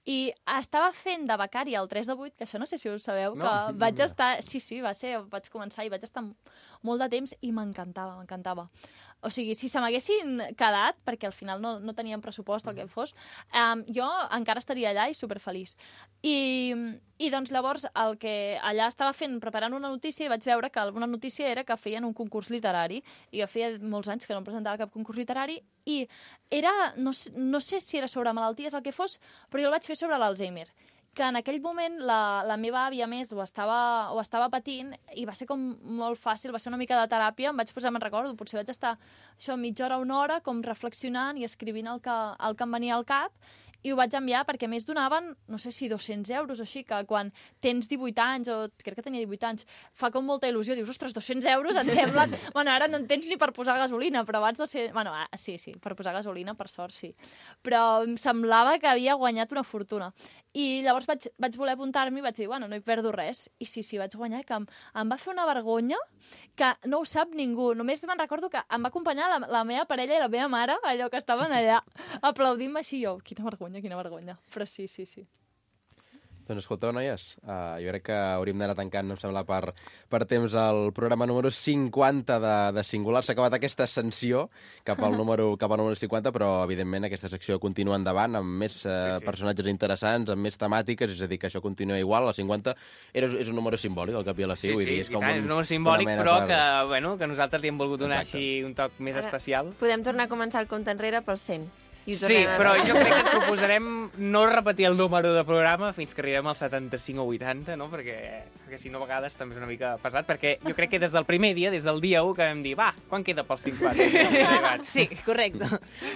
i estava fent de becària al tres de vuit, que això no sé si ho sabeu, No. que vaig estar... Sí, sí, va ser, vaig començar i vaig estar molt de temps i m'encantava, m'encantava. O sigui, si se m'haguessin quedat, perquè al final no, no teníem pressupost, el que fos, um, jo encara estaria allà i superfeliç. I, I doncs llavors el que allà estava fent, preparant una notícia, i vaig veure que alguna notícia era que feien un concurs literari, i jo feia molts anys que no em presentava cap concurs literari, i era, no, sé- no sé si era sobre malalties el que fos, però jo el vaig fer sobre l'Alzheimer, que en aquell moment la, la meva àvia més ho estava, ho estava patint i va ser com molt fàcil, va ser una mica de teràpia, em vaig posar, me'n recordo, potser vaig estar això, mitja hora, una hora, com reflexionant i escrivint el que, el que em venia al cap, i ho vaig enviar perquè a més donaven, no sé si dos-cents euros o així, que quan tens divuit anys, o crec que tenia divuit anys, fa com molta il·lusió, dius, ostres, dos-cents euros em semblen... bueno, ara no en tens ni per posar gasolina, però abans dos-cents... Bueno, ah, sí, sí, per posar gasolina, per sort, sí. Però em semblava que havia guanyat una fortuna. I llavors vaig, vaig voler apuntar-m'hi i vaig dir, bueno, no hi perdo res. I sí, sí, vaig guanyar, que em, em va fer una vergonya que no ho sap ningú. Només me'n recordo que em va acompanyar la, la meva parella i la meva mare, allò que estaven allà, aplaudint-me així, jo, quina vergonya, quina vergonya. Però sí, sí, sí. Doncs escolteu, noies, uh, jo crec que hauríem d'anar tancant, em sembla, per, per temps el programa número cinquanta de, de Singular. S'ha acabat aquesta ascensió cap al número cap al número cinquanta, però, evidentment, aquesta secció continua endavant amb més uh, Sí, sí. personatges interessants, amb més temàtiques, és a dir, que això continua igual. La cinquanta era, és un número simbòlic, al cap i a la fi. Sí, vull sí, dir, és i com tant, un, és un número simbòlic, una mena però per- que, bueno, que nosaltres li hem volgut donar Exacte. així un toc més Ara, especial. Podem tornar a començar el compte enrere pel cent. I ho Sí, tornem a però veure. jo crec que ens proposarem no repetir el número de programa fins que arribem al setanta-cinc o vuitanta, no? Perquè, perquè si no a vegades també és una mica pesat, perquè jo crec que des del primer dia, des del dia u, que vam dir, va, quan queda pels cinquanta? I no hem arribat. Sí, correcte.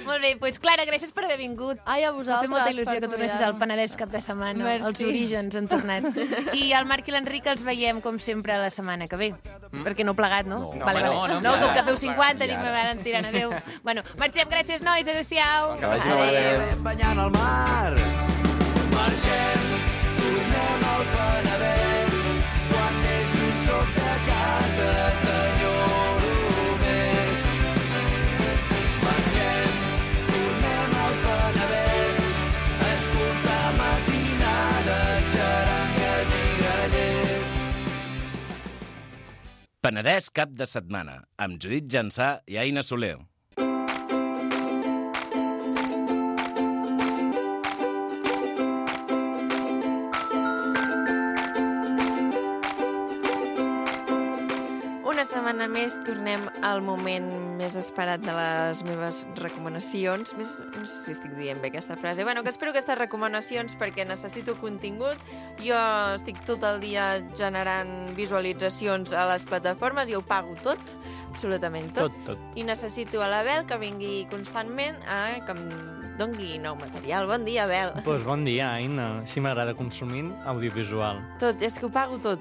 Molt bé, doncs Clara, gràcies per haver vingut. Ai, a M'ha vosaltres. fet molta il·lusió per que tornessis convidar-me. al Penedès cap de setmana. Merci. Els orígens han tornat. I el Marc i l'Enric els veiem, com sempre, la setmana que ve. Mm? Perquè no plegat, no? No, vale, home, vale. no, no, no, com plegat, que feu no, cinquanta, plegat. dic, I me ara. van tirant, adéu. Bueno, marxem, gràcies, nois, adéu-siau. Que vagi molt bé. Banyant al mar. Marxem, tornem al Penedès. Quan més lluny soc de casa, t'enyoro més. Marxem, tornem al Penedès. A escoltar matinades, xarangues i grallers. Penedès cap de setmana, amb Judit Jansà i Aina Soler. Una setmana més tornem al moment més esperat de les meves recomanacions. Més, no sé si estic dient bé aquesta frase. Bueno, que espero aquestes recomanacions perquè necessito contingut. Jo estic tot el dia generant visualitzacions a les plataformes i ho pago tot, absolutament tot. Tot, tot. I necessito a l'Abel que vingui constantment a que em dongui nou material. Bon dia, Abel. Pues bon dia, Aina. Així m'agrada consumir audiovisual. Tot, és que ho pago tot.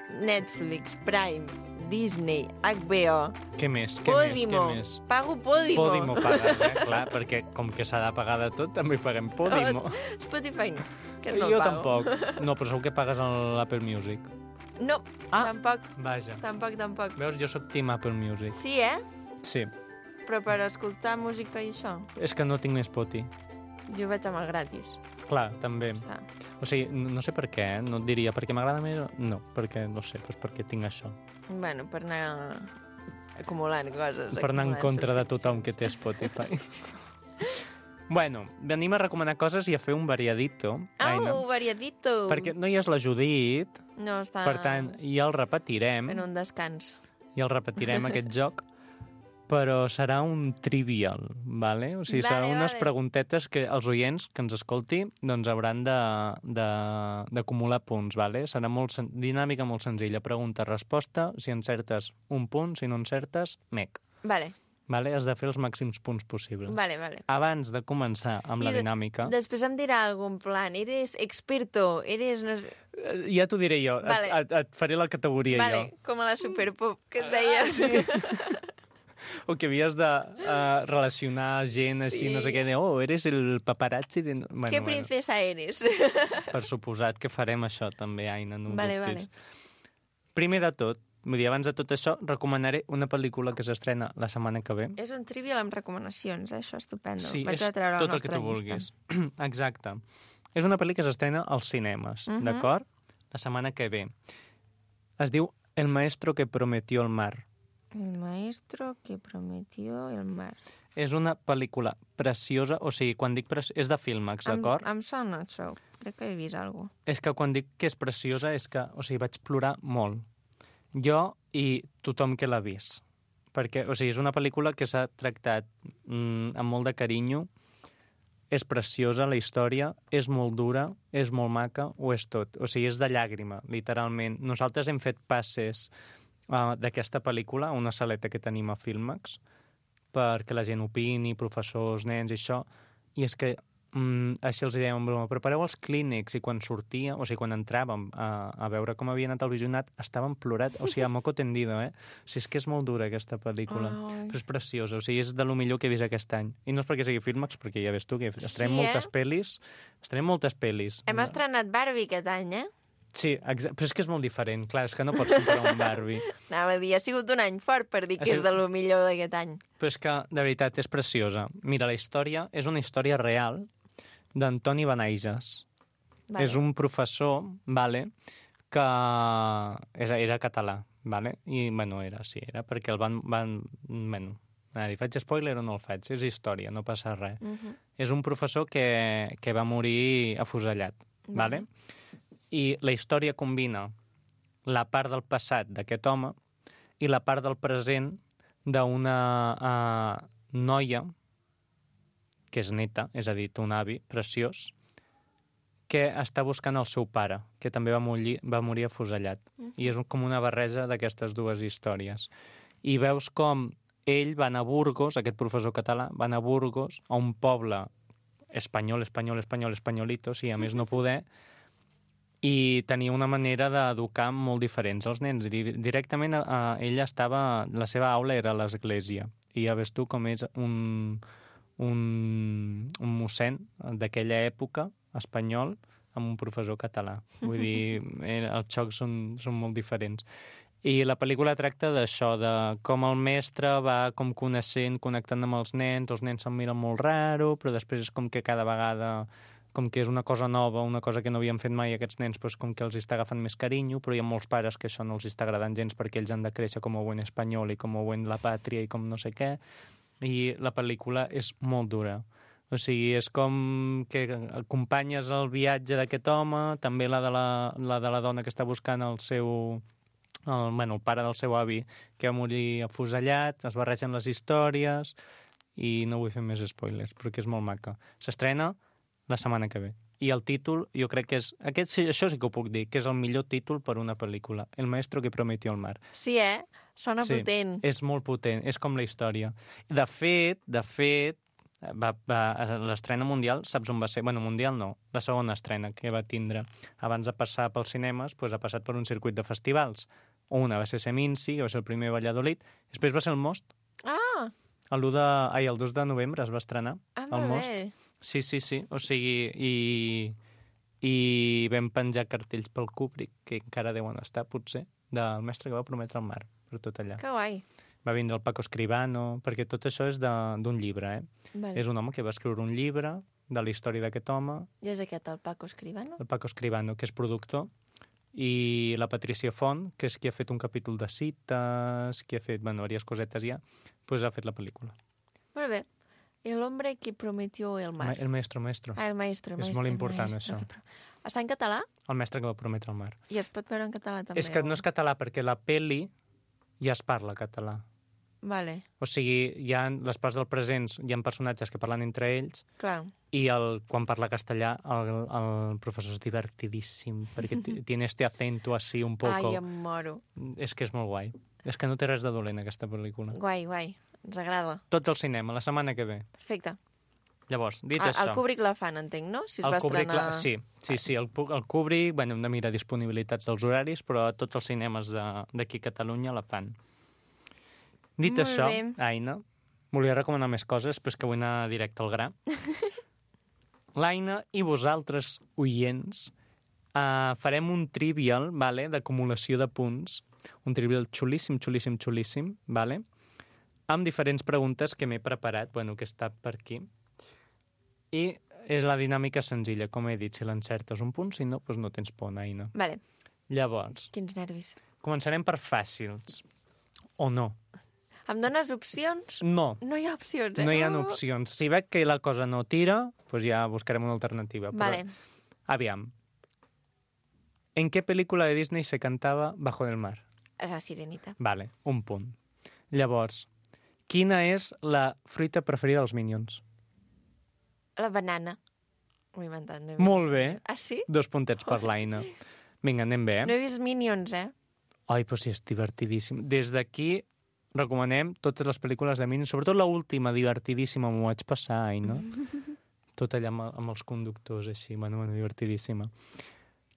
Netflix, Prime, Disney, H B O, Què més? Què Podimo. més? Què més? Pago Podimo. Podimo pagues, eh? Clar, perquè com que s'ha de pagar de tot, també paguem Podimo. Spotify no, que no jo el pago. tampoc. No, però segur que pagues l'Apple Music. No, Ah. tampoc, Vaja. tampoc, tampoc. Veus, jo sóc team Apple Music. Sí, eh? Sí. Però per escoltar música i això, És que no tinc més Spotify. jo vaig amb el gratis. Clar, també. Està. O sigui, no no sé per què, eh? No et diria perquè m'agrada més... No, perquè, no sé, doncs perquè tinc això. Bueno, per anar acumulant coses. Per anar en acumulant contra de tothom que té subscripcions. Spotify. Bueno, venim a recomanar coses i a fer un variadito, Aina. Au, variadito! Perquè no hi és la Judit, No, està per tant, ja el repetirem, fent un descans. ja el repetirem, aquest joc, però serà un trivial, vale? O sigui, Vale, seran unes vale. preguntetes que els oients que ens escolti doncs hauran de- de- d'acumular punts, vale? Serà molt sen- dinàmica molt senzilla. Pregunta-resposta, si encertes un punt, si no encertes, mec. Vale, Vale? Has de fer els màxims punts possibles. vale, vale. Abans de començar amb la I de- dinàmica... Després em dirà algun plan. Eres experto, eres... No sé... Eh, Ja t'ho diré jo, Vale. et, et, et faré la categoria Vale, jo. com a la Superpop, que et deia. Sí. O que havies de uh, relacionar gent així, Sí. no sé què, de, oh, eres el paparazzi de... Bueno, Què princesa eres? Bueno, per suposat que farem això també, Aina, no ho Vale, dubtis. Primer de tot, vull dir, abans de tot això, recomanaré una pel·lícula que s'estrena la setmana que ve. És un trivial amb recomanacions, eh? Això és estupendo. Sí, Vaig és a treure tot la el que tu nostra llista. vulguis. Exacte. És una pel·li que s'estrena als cinemes, Mhm. d'acord? La setmana que ve. Es diu El maestro que prometió el mar. El maestro que prometió el mar. És una pel·lícula preciosa, o sigui, quan dic preciosa, és de Filmax, Em, d'acord? em sona això. Crec que he vist alguna cosa. És que quan dic que és preciosa és que, o sigui, vaig plorar molt. Jo i tothom que l'ha vist. Perquè, o sigui, és una pel·lícula que s'ha tractat mm, amb molt de carinyo, és preciosa la història, és molt dura, és molt maca, ho és tot. O sigui, és de llàgrima, literalment. Nosaltres hem fet passes uh, d'aquesta pel·lícula a una saleta que tenim a Filmax perquè la gent opini, professors, nens i això, i és que mm, així els dèiem en broma, prepareu els clínex, i quan sortia, o sigui, quan entràvem a, a veure com havia anat el visionat, estàvem plorat, o sigui, a moco tendido, eh? O sigui, és que és molt dura aquesta pel·lícula, Ai. però és preciosa, o sigui, és de lo millor que he vist aquest any. I no és perquè sigui Filmax, perquè ja ves tu que estrenem Sí, eh? moltes pel·lis, estrenem moltes pel·lis. Hem estrenat Barbie aquest any, eh? Sí, exa- però és que és molt diferent, clar, és que no pots comparar un Barbie. Anava a dir, ha sigut un any fort per dir Ha que és sigut- de lo millor d'aquest any. Però és que, de veritat, és preciosa. Mira, la història és una història real d'Antoni Benaiges. Vale. És un professor, vale, que era, era català, vale? I, bueno, era, sí, era perquè el van... van bueno, a dir, faig spoiler o no el faig? És història, no passa res. Uh -huh. És un professor que, que va morir afusellat, vale? I la història combina la part del passat d'aquest home i la part del present d'una uh, noia que és neta, és a dir, té un avi preciós, que està buscant el seu pare, que també va morir, va morir afusellat. I és un, com una barreja d'aquestes dues històries. I veus com ell va anar a Burgos, aquest professor català, va anar a Burgos, a un poble espanyol, espanyol, espanyol, espanyolito, sí, a més no poder, i tenia una manera d'educar molt diferents als nens. Di- Directament eh, ella estava... La seva aula era a l'església. I ja ves tu com és un, un, un mossèn d'aquella època, espanyol, amb un professor català. Vull dir, eh, els xocs són, són molt diferents. I la pel·lícula tracta d'això, de com el mestre va com coneixent, connectant amb els nens, els nens se'n miren molt raro, però després és com que cada vegada, com que és una cosa nova, una cosa que no havien fet mai aquests nens, doncs com que els està agafant més carinyo, però hi ha molts pares que això no els està agradant gens perquè ells han de créixer com a buen espanyol i com a buen la pàtria i com no sé què. I la pel·lícula és molt dura. O sigui, és com que acompanyes el viatge d'aquest home, també la de la, la de la dona que està buscant el seu el, bueno, el pare del seu avi, que va morir afusellat, es barregen les històries, i no vull fer més spoilers, perquè és molt maca. S'estrena la setmana que ve. I el títol, jo crec que és... Aquest, sí, això sí que ho puc dir, que és el millor títol per una pel·lícula. El maestro que prometió el mar. Sí, eh? Sona sí, potent. És molt potent, és com la història. De fet, de fet, va, va, l'estrena mundial, saps on va ser? Bueno, mundial no, la segona estrena que va tindre. Abans de passar pels cinemes, doncs ha passat per un circuit de festivals. Una va ser Seminci, que va ser el primer Valladolid, després va ser el Most. Ah! El, de, ai, el dos de novembre es va estrenar, ah, el Most. Bé. Sí, sí, sí, o sigui, i, i vam penjar cartells pel Kubrick, que encara deuen estar, potser, del mestre que va prometre el mar, per tot allà. Que guai. Va vindre el Paco Escribano, perquè tot això és d'un llibre, eh? Vale. És un home que va escriure un llibre de la història d'aquest home. I és aquest, el Paco Escribano? El Paco Escribano, que és productor, i la Patricia Font, que és qui ha fet un capítol de cites, qui ha fet, bueno, diverses cosetes ja, doncs ha fet la pel·lícula. Molt bé. El hombre que prometió el mar. El maestro, maestro. Ah, el maestro. El és maestro, molt important, maestro, això. Que... Està en català? El mestre que va prometre el mar. I es pot veure en català, també? És que o... no és català, perquè la peli ja es parla català. Vale. O sigui, hi ha les parts del presents, hi ha personatges que parlen entre ells, clar. I el, quan parla castellà, el, el professor és divertidíssim, perquè tiene este acento así un poco... Ai, em moro. És que és molt guai. És que no té res de dolent, aquesta pel·lícula. Guai, guai. Ens agrada. Tots al cinema, la setmana que ve. Perfecte. Llavors, dit el, això... El Kubrick la fan, entenc, no? Si es el va Kubrick estrenar... la... Sí, sí, sí, el, el Kubrick, bueno, hem de mirar disponibilitats dels horaris, però a tots els cinemes d'aquí a Catalunya la fan. Dit Molt això, bé. Aina, volia recomanar més coses, però és que vull anar directe al gra. L'Aina i vosaltres, oients, uh, farem un trivial, vale, d'acumulació de punts, un trivial xulíssim, xulíssim, xulíssim, vale? Amb diferents preguntes que m'he preparat, bueno, que està per aquí. I és la dinàmica senzilla, com he dit, si l'encertes un punt, si no, doncs no tens por, Aina. Vale. Llavors, quins nervis. Començarem per fàcils. O no. Em dones opcions? No. No hi ha opcions, eh? No hi ha opcions. Si veig que la cosa no tira, doncs ja buscarem una alternativa. Vale. Però, aviam. ¿En qué película de Disney se cantava Bajo del mar? La Sirenita. Vale, un punt. Llavors, quina és la fruita preferida dels Minions? La banana. M'ho he inventat. No he Molt bé. Ah, sí? Dos puntets per l'Aina. Vinga, anem bé, eh? No he vist Minions, eh? Ai, però sí, és divertidíssim. Des d'aquí recomanem totes les pel·lícules de Minions, sobretot l'última, divertidíssima, m'ho vaig passar, Aina. Tot allà amb, amb els conductors, així, bueno, bueno, divertidíssima.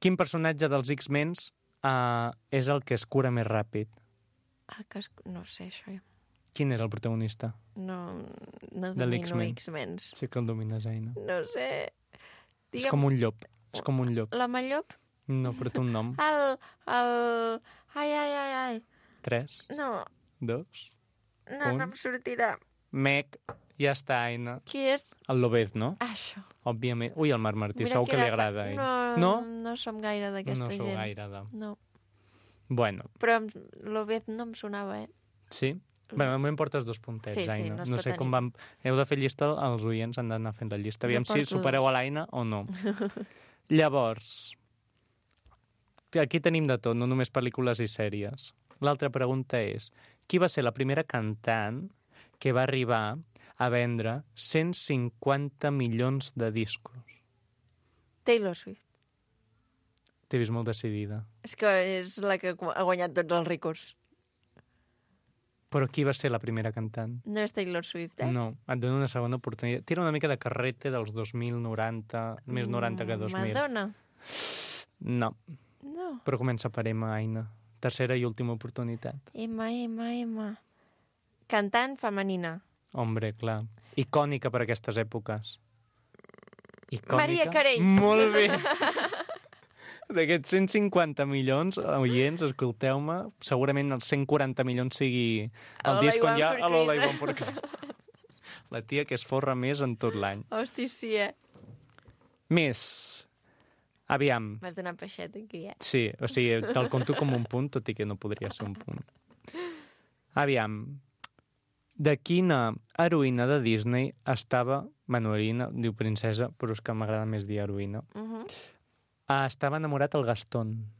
Quin personatge dels X-Men uh, és el que es cura més ràpid? El que es... No sé, això. Quin és el protagonista? No, no de domino X-Men. Sí que el domines, Aina. No sé. Digue'm... És com un llop. És com un llop. La Mallop? No, però té un nom. El... el... Ai, ai, ai, ai. Tres. No. Dos. No, un. no em sortirà. Mec. Ja està, Aina. Qui és? El Lobez, no? Això. Òbviament. Ui, el Marc Martí, Mira segur que li era... agrada. No, no, no som gaire d'aquesta gent. No sou gaire de... No. Bueno. Però l'Obed no em sonava, eh? Sí? Bueno, m'ho portes dos puntets, sí, sí, Aina. no, no sé com vam... Heu de fer llista, els oients han d'anar fent la llista. Aviam si supereu a l'Aina o no. Llavors, aquí tenim de tot, no només pel·lícules i sèries. L'altra pregunta és, qui va ser la primera cantant que va arribar a vendre cent cinquanta milions de discos? Taylor Swift. T'he vist molt decidida. És que és la que ha guanyat tots els rècords. Però qui va ser la primera cantant? No és Taylor Swift, eh? No, et dono una segona oportunitat. Tira una mica de carrete dels dos mil noranta, més noranta que dos mil. Madonna? No. No. Però comença per Emma, Aina. Tercera i última oportunitat. Emma, Emma, Emma. Cantant femenina. Hombre, clar. Icònica per aquestes èpoques. Icònica. Maria Carey. Molt bé. D'aquests cent cinquanta milions, oients, escolteu-me, segurament els cent quaranta milions sigui el All disc on I hi ha Want for All I Want for Christmas. Christmas. La tia que es forra més en tot l'any. Hosti, sí, eh? Més. Aviam. M'has donat peixet aquí, eh? Sí, o sigui, te'l conto com un punt, tot i que no podria ser un punt. Aviam. De quina heroïna de Disney estava... Bueno, heroïna, diu princesa, però és que m'agrada més dir heroïna. Uh -huh. Ah, estava enamorat el Gastón.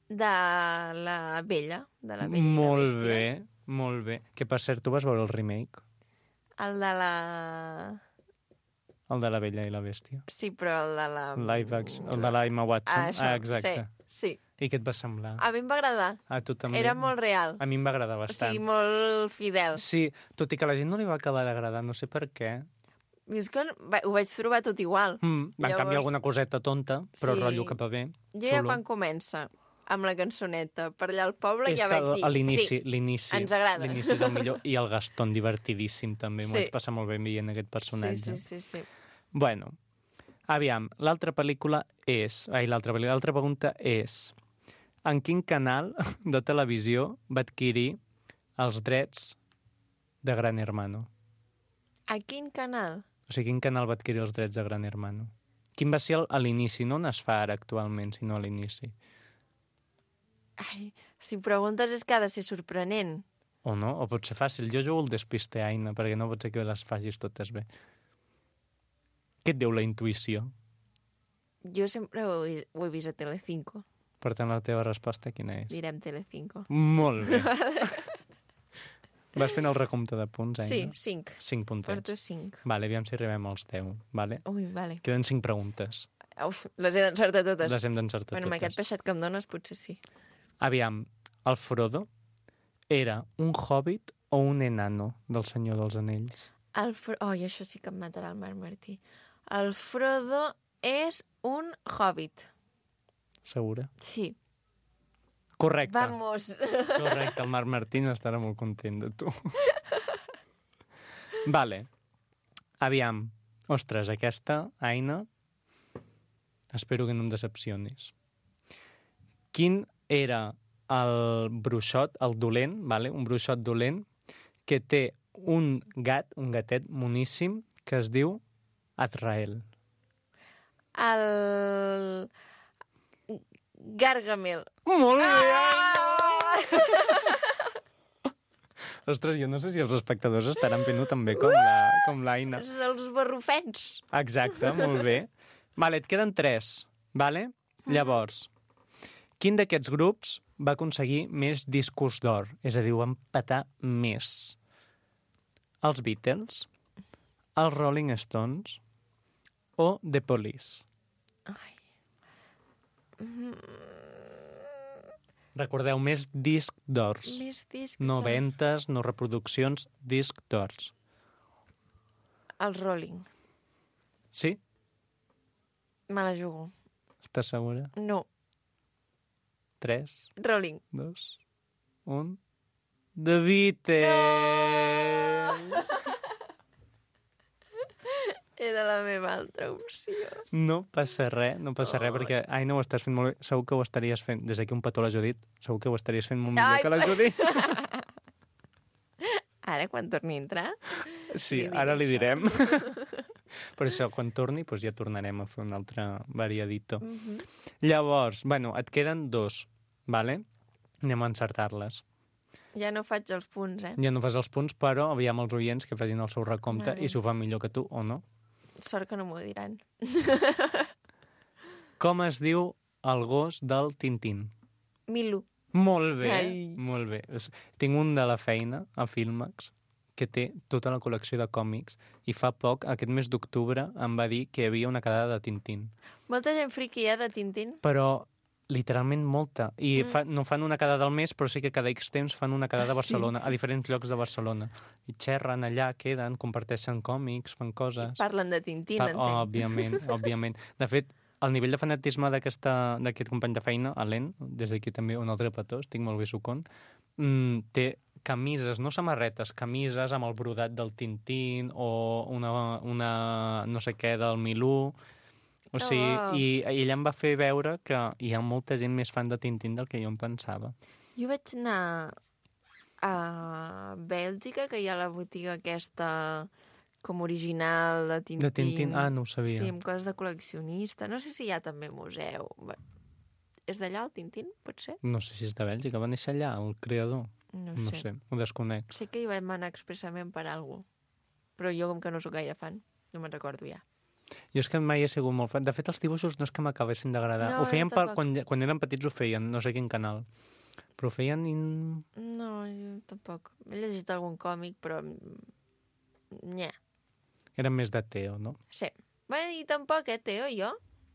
De la Bella, de la Bella i la Molt Bèstia. bé, molt bé. Que, per cert, tu vas veure el remake? El de la... El de la Bella i la Bèstia. Sí, però el de la... Live action, el de la Emma Watson. Ah, això, ah, exacte. Sí, sí. I què et va semblar? A mi em va agradar. A tu també? Era molt real. A mi em va agradar O bastant. sigui, molt fidel. Sí, tot i que a la gent no li va acabar d'agradar, no sé per què. I és que va- ho vaig trobar tot igual. Mm, van Llavors- canviar alguna coseta tonta, però Sí. el rotllo que va bé. Jo ja Xulo. quan comença amb la cançoneta per allà al poble És ja que vaig dir... a l'inici, sí, l'inici, ens agrada. l'inici és el millor. I el Gaston, divertidíssim, també. M'ho Sí. vaig passar molt bé veient aquest sí, personatge. sí, sí, sí. Bueno, aviam, l'altra pel·lícula és... Ai, l'altra pel·lícula, l'altra pregunta és... En quin canal de televisió va adquirir els drets de Gran Hermano? A quin canal? O sigui, quin canal va adquirir els drets de Gran Hermano? Quin va ser el- a l'inici? No on es fa ara actualment, sinó a l'inici. Ai, si preguntes és que ha de ser sorprenent. O no? O pot ser fàcil. Jo jugo el despiste, Aina, perquè no pot ser que les facis totes bé. Què et diu la intuïció? Jo sempre ho he, ho he vist a Telecinco. Per tant, la teva resposta quina és? Direm Telecinco. Molt bé. Vas fent el recompte de punts, Aina? Sí, cinc. Cinc puntets. Porto cinc. Vale, aviam si arribem als deu, vale? Ui, vale. Queden cinc preguntes. Uf, les he d'encertar totes. Les hem d'encertar Bueno, amb aquest totes. peixet que em dones potser sí. Aviam, el Frodo era un hobbit o un enano del Senyor dels Anells? El Fro... Oh, i això sí que em matarà el Marc Martí. El Frodo és un hobbit. Segura? Sí. Correcte. Vamos. Correcte, el Marc Martín estarà molt content de tu. Vale. Aviam. Ostres, aquesta, Aina, espero que no em decepcionis. Quin era el bruixot, el dolent, vale? Un bruixot dolent, que té un gat, un gatet moníssim, que es diu Azrael. El... Gargamel. Molt bé! Ah! Ostres, jo no sé si els espectadors estaran fent-ho tan bé com la- com l'Aina. Els barrufets. Exacte, molt bé. Vale, et queden tres, vale? Llavors, quin d'aquests grups va aconseguir més discos d'or? És a dir, ho va empatar més. Els Beatles, els Rolling Stones o The Police? Ai. Recordeu, més disc d'ors. Més discs. No de- ventes, no reproduccions, disc d'ors. Els Rolling. Sí? Me la jugo. Estàs segura? No. Tres, Rolling. dos, un... The Beatles! Era la meva altra opció. No passa res, no passa res, perquè ai, no ho estàs fent molt bé. Segur que ho estaries fent, des d'aquí un petó a la Judit, segur que ho estaries fent molt millor Ai, que la Judit. Ara, quan torni a entrar... Sí, Li diré ara li això. direm. Per això, quan torni, doncs ja tornarem a fer un altre variadito. Mm -hmm. Llavors, bueno, et queden dos, vale? Anem a encertar-les. Ja no faig els punts, eh? Ja no fas els punts, però aviam els oients que facin el seu recompte Vale. i si ho fan millor que tu o no. Sort que no m'ho diran. Com es diu el gos del Tintín? Milu. Molt bé, Ai. molt bé. És- Tinc un de la feina, a Filmax, que té tota la col·lecció de còmics i fa poc, aquest mes d'octubre, em va dir que hi havia una quedada de Tintín. Molta gent friqui, eh, de Tintín. Però literalment molta. I Mm. fa, no fan una quedada al mes, però sí que cada X temps fan una quedada Ah, a sí? Barcelona, a diferents llocs de Barcelona. I xerren allà, queden, comparteixen còmics, fan coses. Parlen de Tintín, Pa- entenc. Òbviament, òbviament. De fet, el nivell de fanatisme d'aquesta- d'aquest company de feina, Alen, des d'aquí també un altre petó, estic molt bé sucon, mm, té camises, no samarretes, camises amb el brodat del Tintín o una, una no sé què del Milú. O Que sigui, bo. i, i ella em va fer veure que hi ha molta gent més fan de Tintín del que jo em pensava. Jo vaig anar a Bèlgica, que hi ha la botiga aquesta com original de Tintín. De Tintín? Ah, no ho sabia. Sí, amb coses de col·leccionista. No sé si hi ha també museu. Bé, és d'allà el Tintín, pot ser? No sé si és de Bèlgica, va néixer allà, el creador. No, No sé. sé, ho desconec. Sé que hi vam anar expressament per alguna cosa. Però jo, com que no sóc gaire fan, no me'n recordo ja. Jo és que mai he sigut molt fan. De fet, els dibuixos no és que m'acabessin d'agradar. No, ho feien jo per, tampoc. quan, quan eren petits ho feien, no sé quin canal. Però ho feien... In... No, jo tampoc. He llegit algun còmic, però... Nye. Eren més de Teo, no? Sí. Bé, i tampoc, eh, Teo, jo?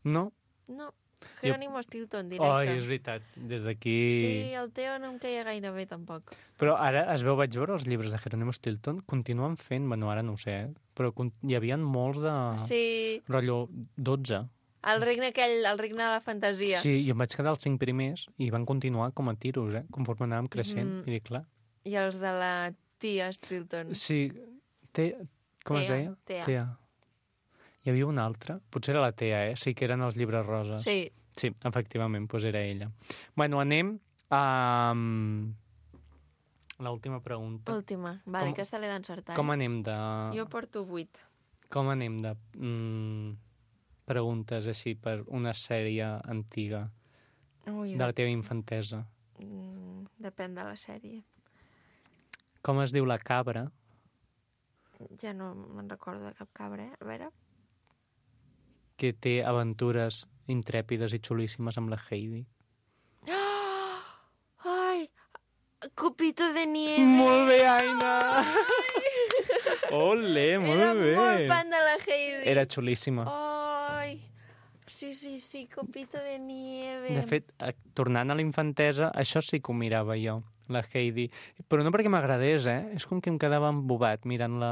No? No. Jerónimo Stilton, Ai, directe. és veritat. Des d'aquí... Sí, el Teo no em queia gaire bé, tampoc. Però ara es veu, vaig veure els llibres de Jerónimo Stilton, continuen fent, bueno, ara no ho sé, eh? Però con- hi havia molts de... Sí, Rotllo dotze. el regne aquell, el regne de la fantasia. Sí, jo em vaig quedar els cinc primers i van continuar com a tiros, eh? Conforme anàvem creixent. Mhm. I dic, clar... I els de la tia Stilton. Sí, te... com es Tea, deia? Tea. Tea. Hi havia una altra? Potser era la Tea, eh? Sí, que eren els llibres roses. Sí. Sí, efectivament, doncs era ella. Bueno, anem a... um, l'última pregunta. Última. Vale, Com- aquesta l'he d'encertar. Com eh? anem de... Jo porto vuit. Com anem de mm, preguntes així per una sèrie antiga Ui, de la teva infantesa? Mm, depèn de la sèrie. Com es diu la cabra Ja no me'n recordo de cap cabra, eh? A veure... que té aventures intrèpides i xulíssimes amb la Heidi? Oh! Ai! Copito de nieve! Molt bé, Aina! Ole, molt Era bé! molt fan de la Heidi. Era xulíssima. Ai! Sí, sí, sí, Copito de nieve. De fet, eh, tornant a la infantesa, això sí que ho mirava jo, la Heidi. Però no perquè m'agradés, eh? És com que em quedava embobat mirant-la...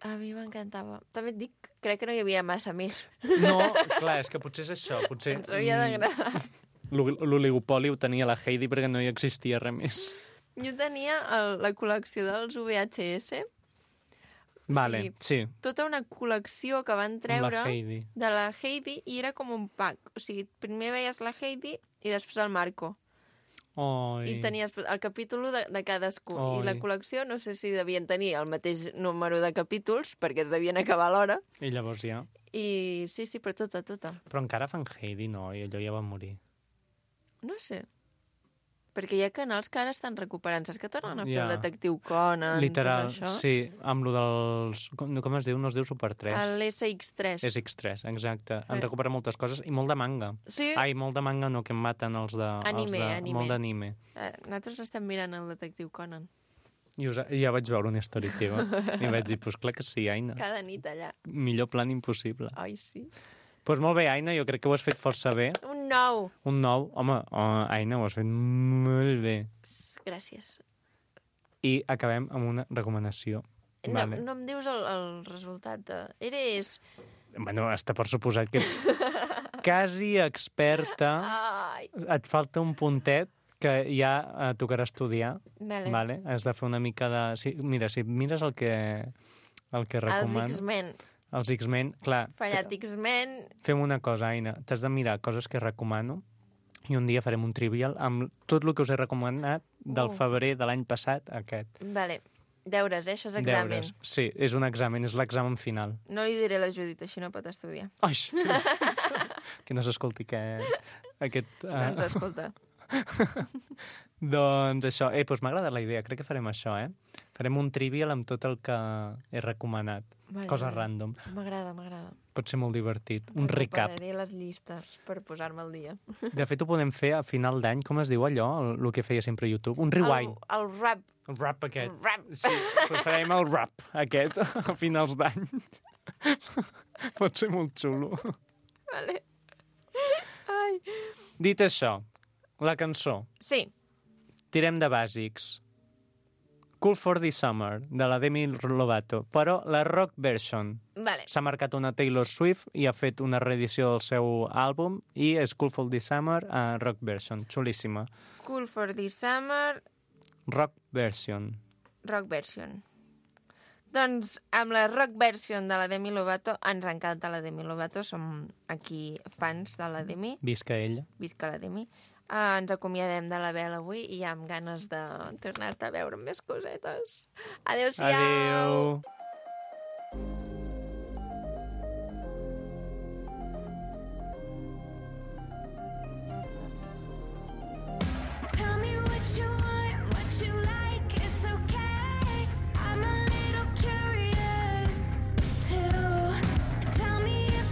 A mi m'encantava. També et dic, crec que no hi havia massa més. No, clar, és que potser és això. Potser... Ens havia d'agradar. mm, l'oligopoli ho tenia la Heidi perquè no hi existia res més. Jo tenia el, la col·lecció dels V H S, Vale, sí, tota una col·lecció que van amb treure la Heidi. de la Heidi i era com un pack. O sigui, primer veies la Heidi i després el Marco. Oi. I tenies el capítol de, de cadascú. Oi. I la col·lecció, no sé si devien tenir el mateix número de capítols, perquè es devien acabar a l'hora. I llavors ja... I sí, sí, però tota, tota. Però encara fan Heidi, no? I allò ja va morir. No sé. Perquè hi ha canals que ara estan recuperant. Saps que tornen a fer Ja. el detectiu Conan, Literal, tot això? sí, amb lo dels... Com, com es diu? No es diu Super tres. L'S X tres. És X tres, exacte. Han Eh. recuperat moltes coses i molt de manga. Sí? Ai, molt de manga no, que em maten els de... Anime, els de, anime. Molt d'anime. Eh, nosaltres estem mirant el detectiu Conan. I us, ja vaig veure una història teva i vaig dir, pues clar que sí, Aina. Cada nit allà. Millor plan impossible. Ai, sí. Doncs pues molt bé, Aina, jo crec que ho has fet força bé. Un nou. Un nou, home, oh, Aina, ho has fet molt bé. Gràcies. I acabem amb una recomanació. No, Vale. no em dius el, el resultat de... Eres... Bueno, està per suposat que ets quasi experta. Ai. Et falta un puntet que ja eh, tocarà estudiar. Vale. Vale? Has de fer una mica de... Sí, mira, si mires el que, el que Els recomano... X-Men. Els X-Men, clar. Fallat X-Men. Fem una cosa, Aina. T'has de mirar coses que recomano i un dia farem un trivial amb tot el que us he recomanat del Uh. febrer de l'any passat a aquest. Vale. Deures, eh? Això és examen. Deures. Sí, és un examen, és l'examen final. No li diré a la Judit, així no pot estudiar. Ai, que no s'escolti que aquest... Uh... Doncs escolta. doncs això, eh, doncs m'ha agradat la idea, crec que farem això, eh? Farem un trivial amb tot el que he recomanat. Vale, Cosa vale. random. M'agrada, m'agrada. Pot ser molt divertit. Un recap. Recuperaré les llistes per posar-me al dia. De fet, ho podem fer a final d'any, com es diu allò, el, el que feia sempre YouTube? Un rewind. El, el rap. El rap aquest. El rap. Sí, però farem el rap aquest a finals d'any. Pot ser molt xulo. Vale. Ai. Dit això, la cançó. Sí. Tirem de bàsics. Cool for the Summer, de la Demi Lovato, però la rock version. Vale. S'ha marcat una Taylor Swift i ha fet una reedició del seu àlbum i és Cool for the Summer a rock version. Xulíssima. Cool for the Summer, Rock version. rock version. Doncs amb la rock version de la Demi Lovato, ens encanta la Demi Lovato, som aquí fans de la Demi, Visca ella. visca la Demi. Uh, ens acomiadem de la Bel avui i amb ganes de tornar-te a veure amb més cosetes. Adéu-siau! Adéu! Tell me what you want, what you like, it's okay. I'm a little curious too. Tell me if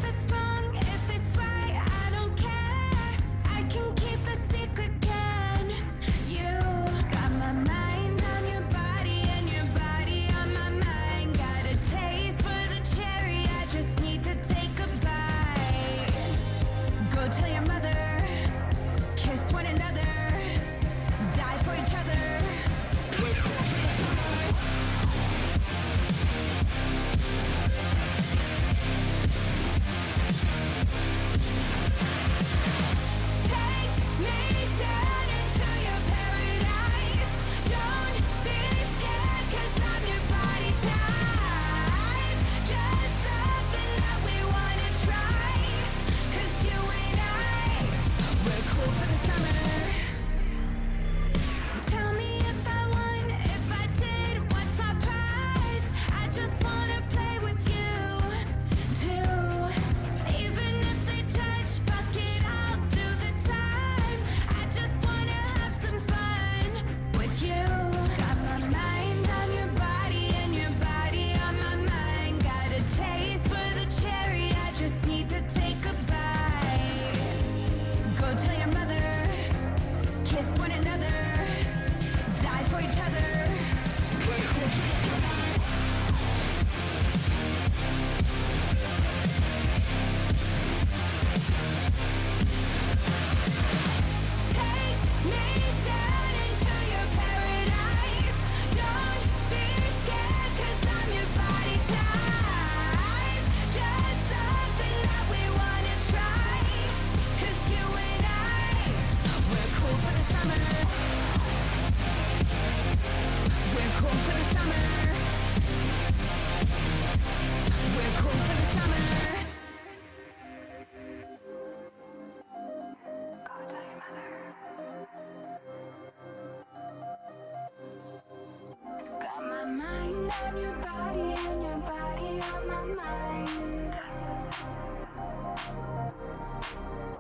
mind on your body and your body on my mind.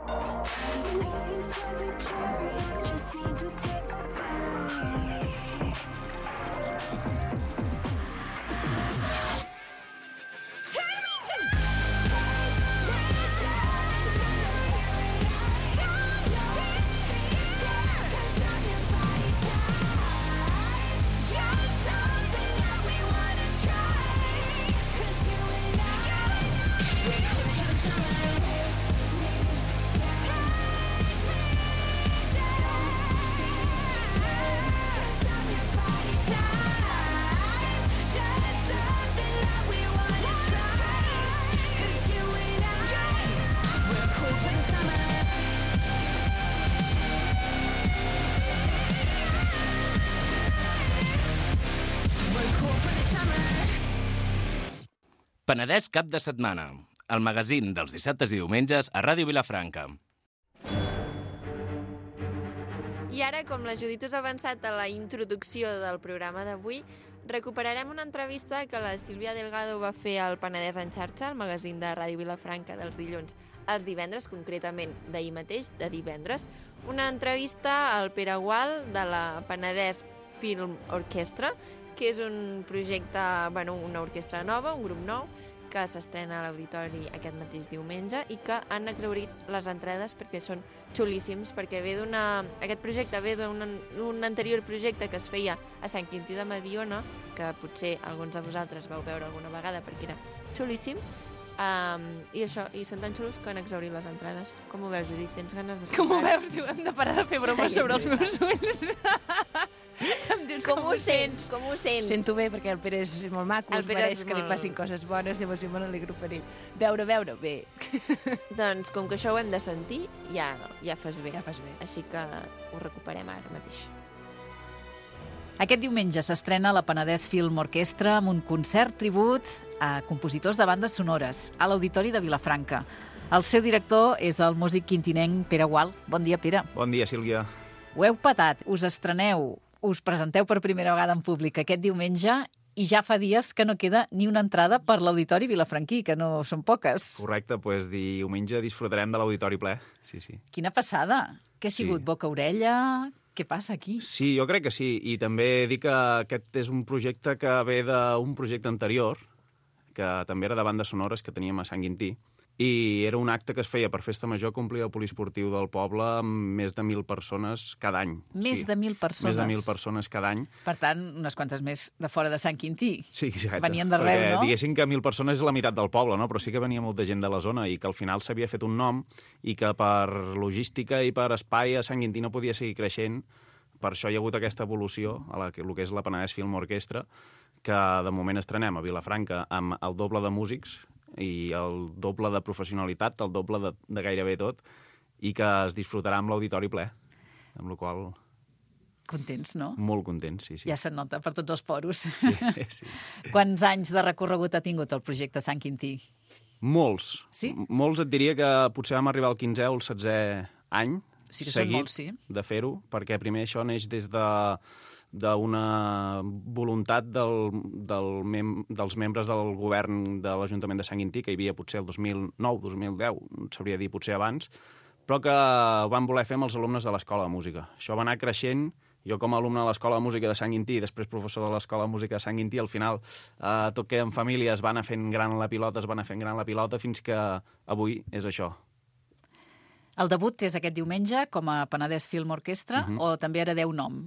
Got a taste for the cherry, I just need to take a bite. Take me down, take me down to the paradise. Don't, don't be scared, 'cause I'm your body type. Just something that we wanna try, 'cause you and I, we're cool for the summer. Penedès cap de setmana, el magazín dels dissabtes i diumenges a Ràdio Vilafranca. I ara, com la Judit us ha avançat a la introducció del programa d'avui, recuperarem una entrevista que la Sílvia Delgado va fer al Penedès en xarxa, el magazín de Ràdio Vilafranca dels dilluns als divendres, concretament d'ahir mateix, de divendres. Una entrevista al Pere Gual de la Penedès Film Orquestra, que és un projecte, bueno, una orquestra nova, un grup nou, que s'estrena a l'Auditori aquest mateix diumenge i que han exhaurit les entrades perquè són xulíssims, perquè ve d'una... Aquest projecte ve d'un un anterior projecte que es feia a Sant Quintí de Mediona, que potser alguns de vosaltres vau veure alguna vegada perquè era xulíssim, um, i això, i són tan xulos que han exhaurit les entrades. Com ho veus, Judit? Tens ganes d'escoltar? Com ho veus? Diu, hem de parar de fer bromes sobre els meus ulls. Em dius, Com ho sents? Com ho sents? Sento bé, perquè el Pere és molt maco, El es Pere mereix és que li molt- passin coses bones, llavors jo me n'alegro per ell. Veure, veure, bé. Doncs, com que això ho hem de sentir, ja, ja fas bé. Ja fas bé. Així que ho recuperem ara mateix. Aquest diumenge s'estrena la Penedès Film Orquestra amb un concert tribut a compositors de bandes sonores a l'Auditori de Vilafranca. El seu director és el músic quintinenc Pere Gual. Bon dia, Pere. Bon dia, Sílvia. Ho heu patat, us estreneu, us presenteu per primera vegada en públic aquest diumenge i ja fa dies que no queda ni una entrada per l'Auditori vilafranquí, que no són poques. Correcte, doncs diumenge disfrutarem de l'auditori ple. Sí, sí. Quina passada! Què ha sigut? Sí. Boca-orella? Què passa aquí? Sí, jo crec que sí. I també dic que aquest és un projecte que ve d'un projecte anterior, que també era de bandes sonores que teníem a Sant Quintí, i era un acte que es feia per Festa Major, complir el poliesportiu del poble amb més de mil persones cada any. Més de mil persones. Més de mil persones cada any. Per tant, unes quantes més de fora de Sant Quintí. Sí, exacte. Venien d'arreu, Perquè, no? diguéssim que mil persones és la meitat del poble, no? Però sí que venia molta gent de la zona i que al final s'havia fet un nom i que per logística i per espai a Sant Quintí no podia seguir creixent. Per això hi ha hagut aquesta evolució a la que, el que és la Penedès Film Orquestra, que de moment estrenem a Vilafranca amb el doble de músics i el doble de professionalitat, el doble de, de gairebé tot, i que es disfrutarà amb l'auditori ple, amb la qual cosa Contents, no? molt contents, sí, sí. Ja se'n nota per tots els poros. Sí, sí. Quants anys de recorregut ha tingut el projecte Sant Quintí? Molts. Sí? M- Molts et diria que potser vam arribar al quinzè o al setzè any Sí que són seguit molts, sí. de fer-ho, perquè primer això neix des de d'una voluntat del, del mem dels membres del govern de l'Ajuntament de Sant Quintí, que hi havia potser el dos mil nou, dos mil deu, no sabria dir potser abans, però que van voler fer amb els alumnes de l'Escola de Música. Això va anar creixent. Jo, com a alumne de l'Escola de Música de Sant Quintí i després professor de l'Escola de Música de Sant Quintí, al final eh, tot que en família es va anar fent gran la pilota, es va anar fent gran la pilota, fins que avui és això. El debut és aquest diumenge com a Penedès Film Orquestra Mhm. o també heredeu nom?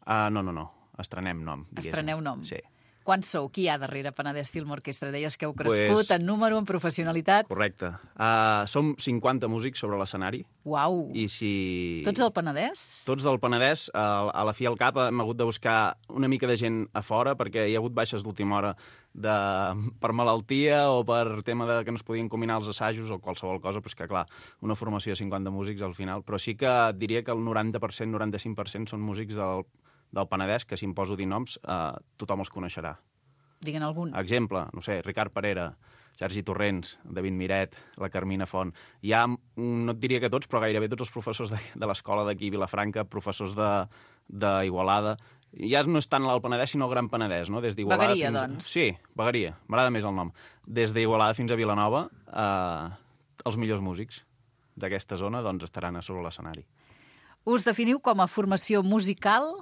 Uh, no, no, no. Estrenem nom. diguéssim. Estreneu nom? Sí. Quants sou? Qui hi ha darrere Penedès Film Orquestra? Deies que heu crescut Pues- en número, en professionalitat. Correcte. Uh, som cinquanta músics sobre l'escenari. Uau! I si... Tots del Penedès? Tots del Penedès. A, a la fi al cap hem hagut de buscar una mica de gent a fora perquè hi ha hagut baixes d'última hora de, per malaltia o per tema de que no es podien combinar els assajos o qualsevol cosa, doncs que clar, una formació de cinquanta músics al final. Però sí que et diria que el noranta per cent, noranta-cinc per cent són músics del, del Penedès, que si em poso a dir noms, eh, tothom els coneixerà. Digue'n algun. Exemple, no sé, Ricard Parera, Sergi Torrents, David Miret, la Carmina Font. Hi ha, no et diria que tots, però gairebé tots els professors de, de l'escola d'aquí, Vilafranca, professors de d'Igualada, Ja no és tant l'Alt Penedès, sinó el Gran Penedès, no? Des d'Igualada Vegueria, fins... doncs. Sí, Vegueria, m'agrada més el nom. Des d'Igualada fins a Vilanova, eh, els millors músics d'aquesta zona doncs, estaran a sobre l'escenari. Us definiu com a formació musical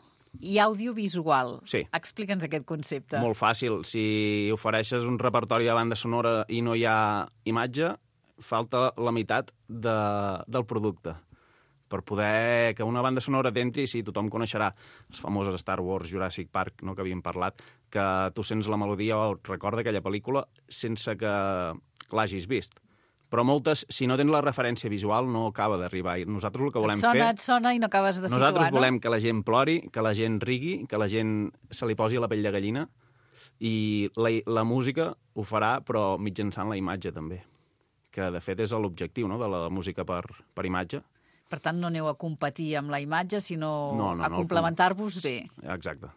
i audiovisual. Sí. Explica'ns aquest concepte. Molt fàcil. Si ofereixes un repertori de banda sonora i no hi ha imatge, falta la meitat de, del producte. Per poder que una banda sonora t'entri, sí, tothom coneixerà les famoses Star Wars, Jurassic Park, no, que havíem parlat, que tu sents la melodia o et recorda aquella pel·lícula sense que l'hagis vist. Però moltes, si no tens la referència visual, no acaba d'arribar. I nosaltres el que volem et sona, fer... et sona i no acabes de situar, Nosaltres no? volem que la gent plori, que la gent rigui, que la gent se li posi la pell de gallina, i la, la música ho farà, però mitjançant la imatge, també. Que, de fet, és l'objectiu, no?, de la música per, per imatge. Per tant, no aneu a competir amb la imatge, sinó No, no, a no, complementar-vos bé. Exacte.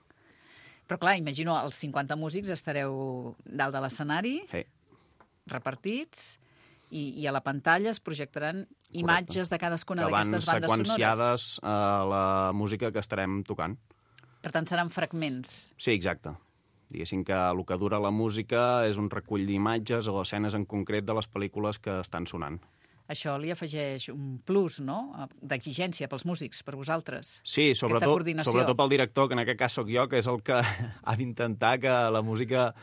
Però, clar, imagino, els cinquanta músics estareu dalt de l'escenari, Sí. repartits, i, i a la pantalla es projectaran imatges de cadascuna Que van d'aquestes bandes sonores. seqüenciades a la música que estarem tocant. Per tant, seran fragments. Sí, exacte. Diguéssim que el que dura la música és un recull d'imatges o escenes en concret de les pel·lícules que estan sonant. Això li afegeix un plus, no?, d'exigència pels músics, per vosaltres. Sí, Aquesta sobretot, coordinació. sobretot pel director, que en aquest cas sóc jo, que és el que ha d'intentar que la música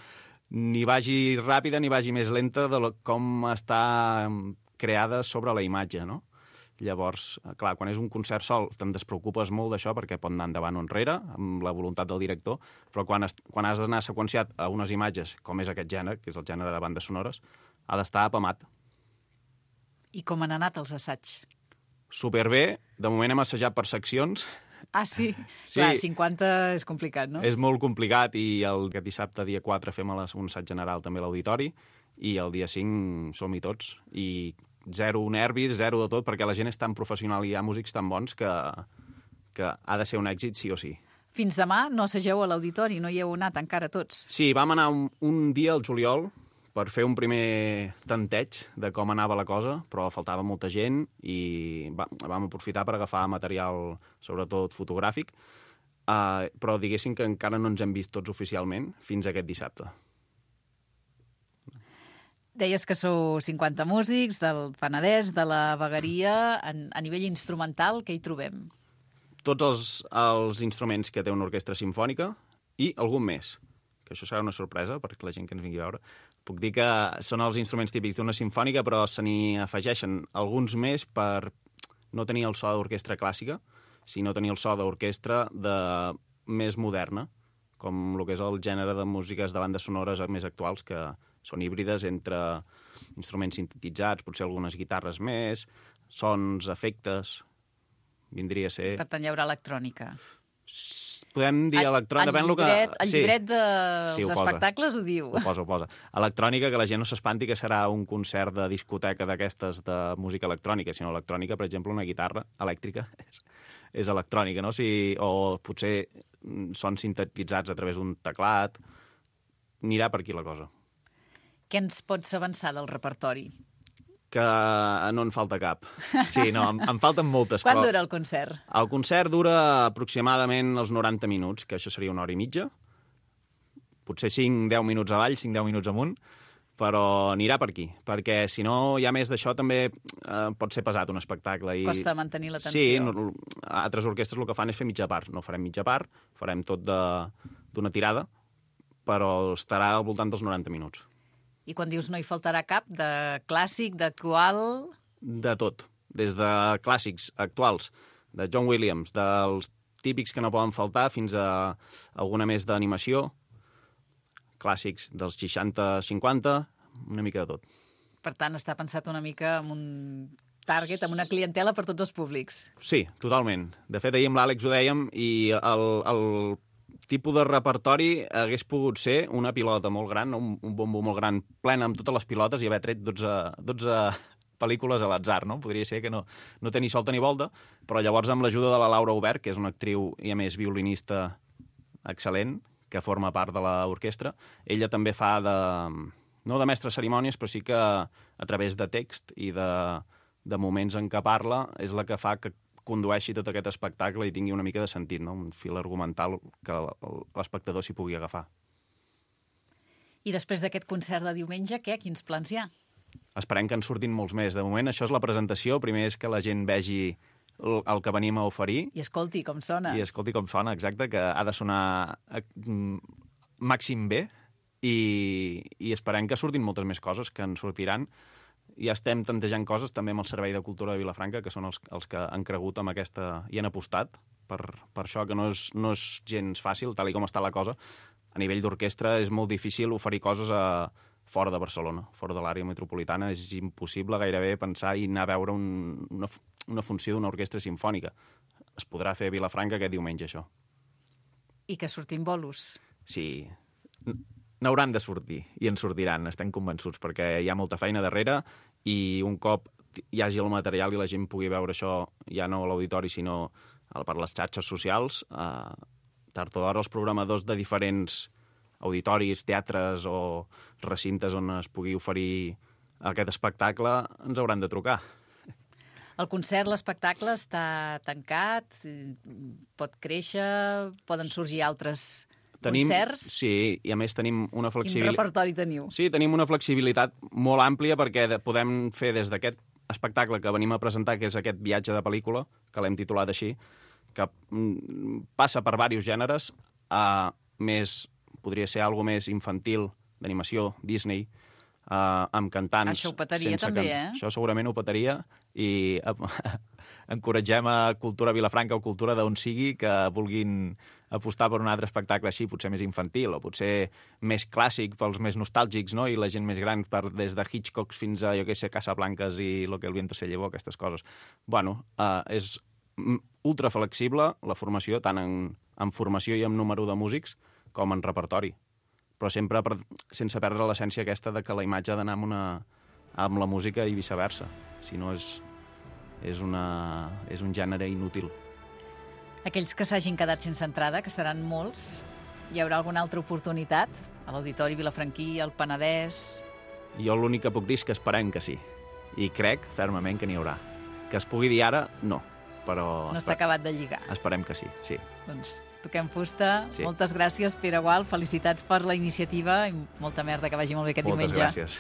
ni vagi ràpida ni vagi més lenta de lo, com està creada sobre la imatge, no? Llavors, clar, quan és un concert sol te'n despreocupes molt d'això perquè pot anar endavant o enrere, amb la voluntat del director, però quan, has, quan has d'anar seqüenciat a unes imatges, com és aquest gènere, que és el gènere de bandes sonores, ha d'estar apamat. I com han anat els assaigs? Superbé, de moment hem assajat per seccions. Ah, sí? Sí. Clar, cinquanta és complicat, no? És molt complicat i el aquest dissabte, dia quatre, fem a les- un assaig general també a l'auditori i el dia cinc som-hi tots. I zero nervis, zero de tot, perquè la gent és tan professional i hi ha músics tan bons que, que ha de ser un èxit sí o sí. Fins demà no assageu a l'auditori, no hi heu anat encara tots. Sí, vam anar un, un dia al juliol per fer un primer tanteig de com anava la cosa, però faltava molta gent i va, vam aprofitar per agafar material, sobretot fotogràfic, uh, però diguéssim que encara no ens hem vist tots oficialment fins aquest dissabte. Deies que sou cinquanta músics del Penedès, de la Vegueria. En, a nivell instrumental, què hi trobem? Tots els, els instruments que té una orquestra simfònica i algun més, que això serà una sorpresa per la gent que ens vingui a veure. Puc dir que són els instruments típics d'una simfònica, però se n'hi afegeixen alguns més per no tenir el so d'orquestra clàssica, sinó tenir el so d'orquestra de... més moderna, com el que és el gènere de músiques de bandes sonores més actuals, que són híbrides entre instruments sintetitzats, potser algunes guitarres més, sons, efectes, vindria a ser... Per tant, hi haurà electrònica. Podem dir electrònica... El llibret, el llibret dels Sí, ho posa. espectacles ho diu. Ho posa, ho posa. Electrònica, que la gent no s'espanti que serà un concert de discoteca d'aquestes de música electrònica, sinó electrònica, per exemple, una guitarra elèctrica és, és electrònica, no? Si, o potser són sintetitzats a través d'un teclat. Anirà per aquí la cosa. Què ens pots avançar del repertori? Que no en falta cap. Sí, no, em, em falten moltes. Quan però... dura el concert? El concert dura aproximadament els noranta minuts, que això seria una hora i mitja. Potser cinc deu minuts avall, cinc deu minuts amunt, però anirà per aquí, perquè si no hi ha més d'això també eh, pot ser pesat un espectacle. I... Costa mantenir la tensió. Sí, no, altres orquestres el que fan és fer mitja part. No farem mitja part, farem tot d'una tirada, però estarà al voltant dels noranta minuts. I quan dius no hi faltarà cap, de clàssic, d'actual... De tot, des de clàssics actuals, de John Williams, dels típics que no poden faltar, fins a alguna més d'animació, clàssics dels seixanta cinquanta, una mica de tot. Per tant, està pensat una mica amb un target, amb una clientela per tots els públics. Sí, totalment. De fet, ahir amb l'Àlex ho dèiem, i el, el tipus de repertori hagués pogut ser una pilota molt gran, un, un bombo molt gran, plena amb totes les pilotes, i haver tret dotze, dotze pel·lícules a l'atzar, no? Podria ser que no, no té ni solta ni volta, però llavors amb l'ajuda de la Laura Obert, que és una actriu i a més violinista excel·lent, que forma part de l'orquestra, ella també fa de... no de mestre cerimònies, però sí que a través de text i de, de moments en què parla és la que fa que condueixi tot aquest espectacle i tingui una mica de sentit, no? Un fil argumental que l'espectador s'hi pugui agafar. I després d'aquest concert de diumenge, què? Quins plans hi ha? Esperem que en surtin molts més. De moment, això és la presentació. Primer és que la gent vegi el, el que venim a oferir. I escolti com sona. I escolti com sona, exacte, que ha de sonar eh, màxim bé i, i esperem que surtin moltes més coses, que en sortiran. Ja estem tantejant coses també amb el Servei de Cultura de Vilafranca, que són els, els que han cregut amb aquesta i han apostat per, per això, que no és, no és gens fàcil, tal i com està la cosa. A nivell d'orquestra és molt difícil oferir coses a, fora de Barcelona, fora de l'àrea metropolitana. És impossible gairebé pensar i anar a veure un, una, una funció d'una orquestra simfònica. Es podrà fer a Vilafranca aquest diumenge, això. I que surtin bolos. Sí, n'hauran de sortir, i en sortiran, estem convençuts, perquè hi ha molta feina darrere i un cop hi hagi el material i la gent pugui veure això, ja no a l'auditori, sinó per les xarxes socials, eh, tard o d'hora els programadors de diferents auditoris, teatres o recintes on es pugui oferir aquest espectacle ens hauran de trucar. El concert, l'espectacle està tancat, pot créixer, poden sorgir altres tenim, concerts. Sí, i a més tenim una flexibilitat... Quin repertori teniu? Sí, tenim una flexibilitat molt àmplia perquè de, podem fer des d'aquest espectacle que venim a presentar, que és aquest viatge de pel·lícula, que l'hem titulat així, que passa per diversos gèneres, a més, podria ser algo més infantil, d'animació, Disney, uh, amb cantants... Això ho petaria també, can... eh? Això segurament ho petaria i encoratgem a Cultura Vilafranca o Cultura d'on sigui que vulguin apostar per un altre espectacle així, potser més infantil o potser més clàssic pels més nostàlgics, no? I la gent més gran, per, des de Hitchcock fins a, jo què sé, Casablanques i Lo que el viento se llevó, aquestes coses. Bueno, uh, és ultra flexible la formació, tant en, en formació i en número de músics com en repertori. Però sempre per, sense perdre l'essència aquesta de que la imatge ha d'anar amb, una, amb la música i viceversa. Si no, és, és, una, és un gènere inútil. Aquells que s'hagin quedat sense entrada, que seran molts, hi haurà alguna altra oportunitat? A l'Auditori Vilafranquí, al Penedès... Jo l'únic que puc dir és que esperem que sí. I crec fermament que n'hi haurà. Que es pugui dir ara, no. Però no està acabat de lligar. Esperem que sí, sí. Doncs toquem fusta. Sí. Moltes gràcies, Pere Gual. Felicitats per la iniciativa i molta merda, que vagi molt bé aquest Moltes diumenge. gràcies.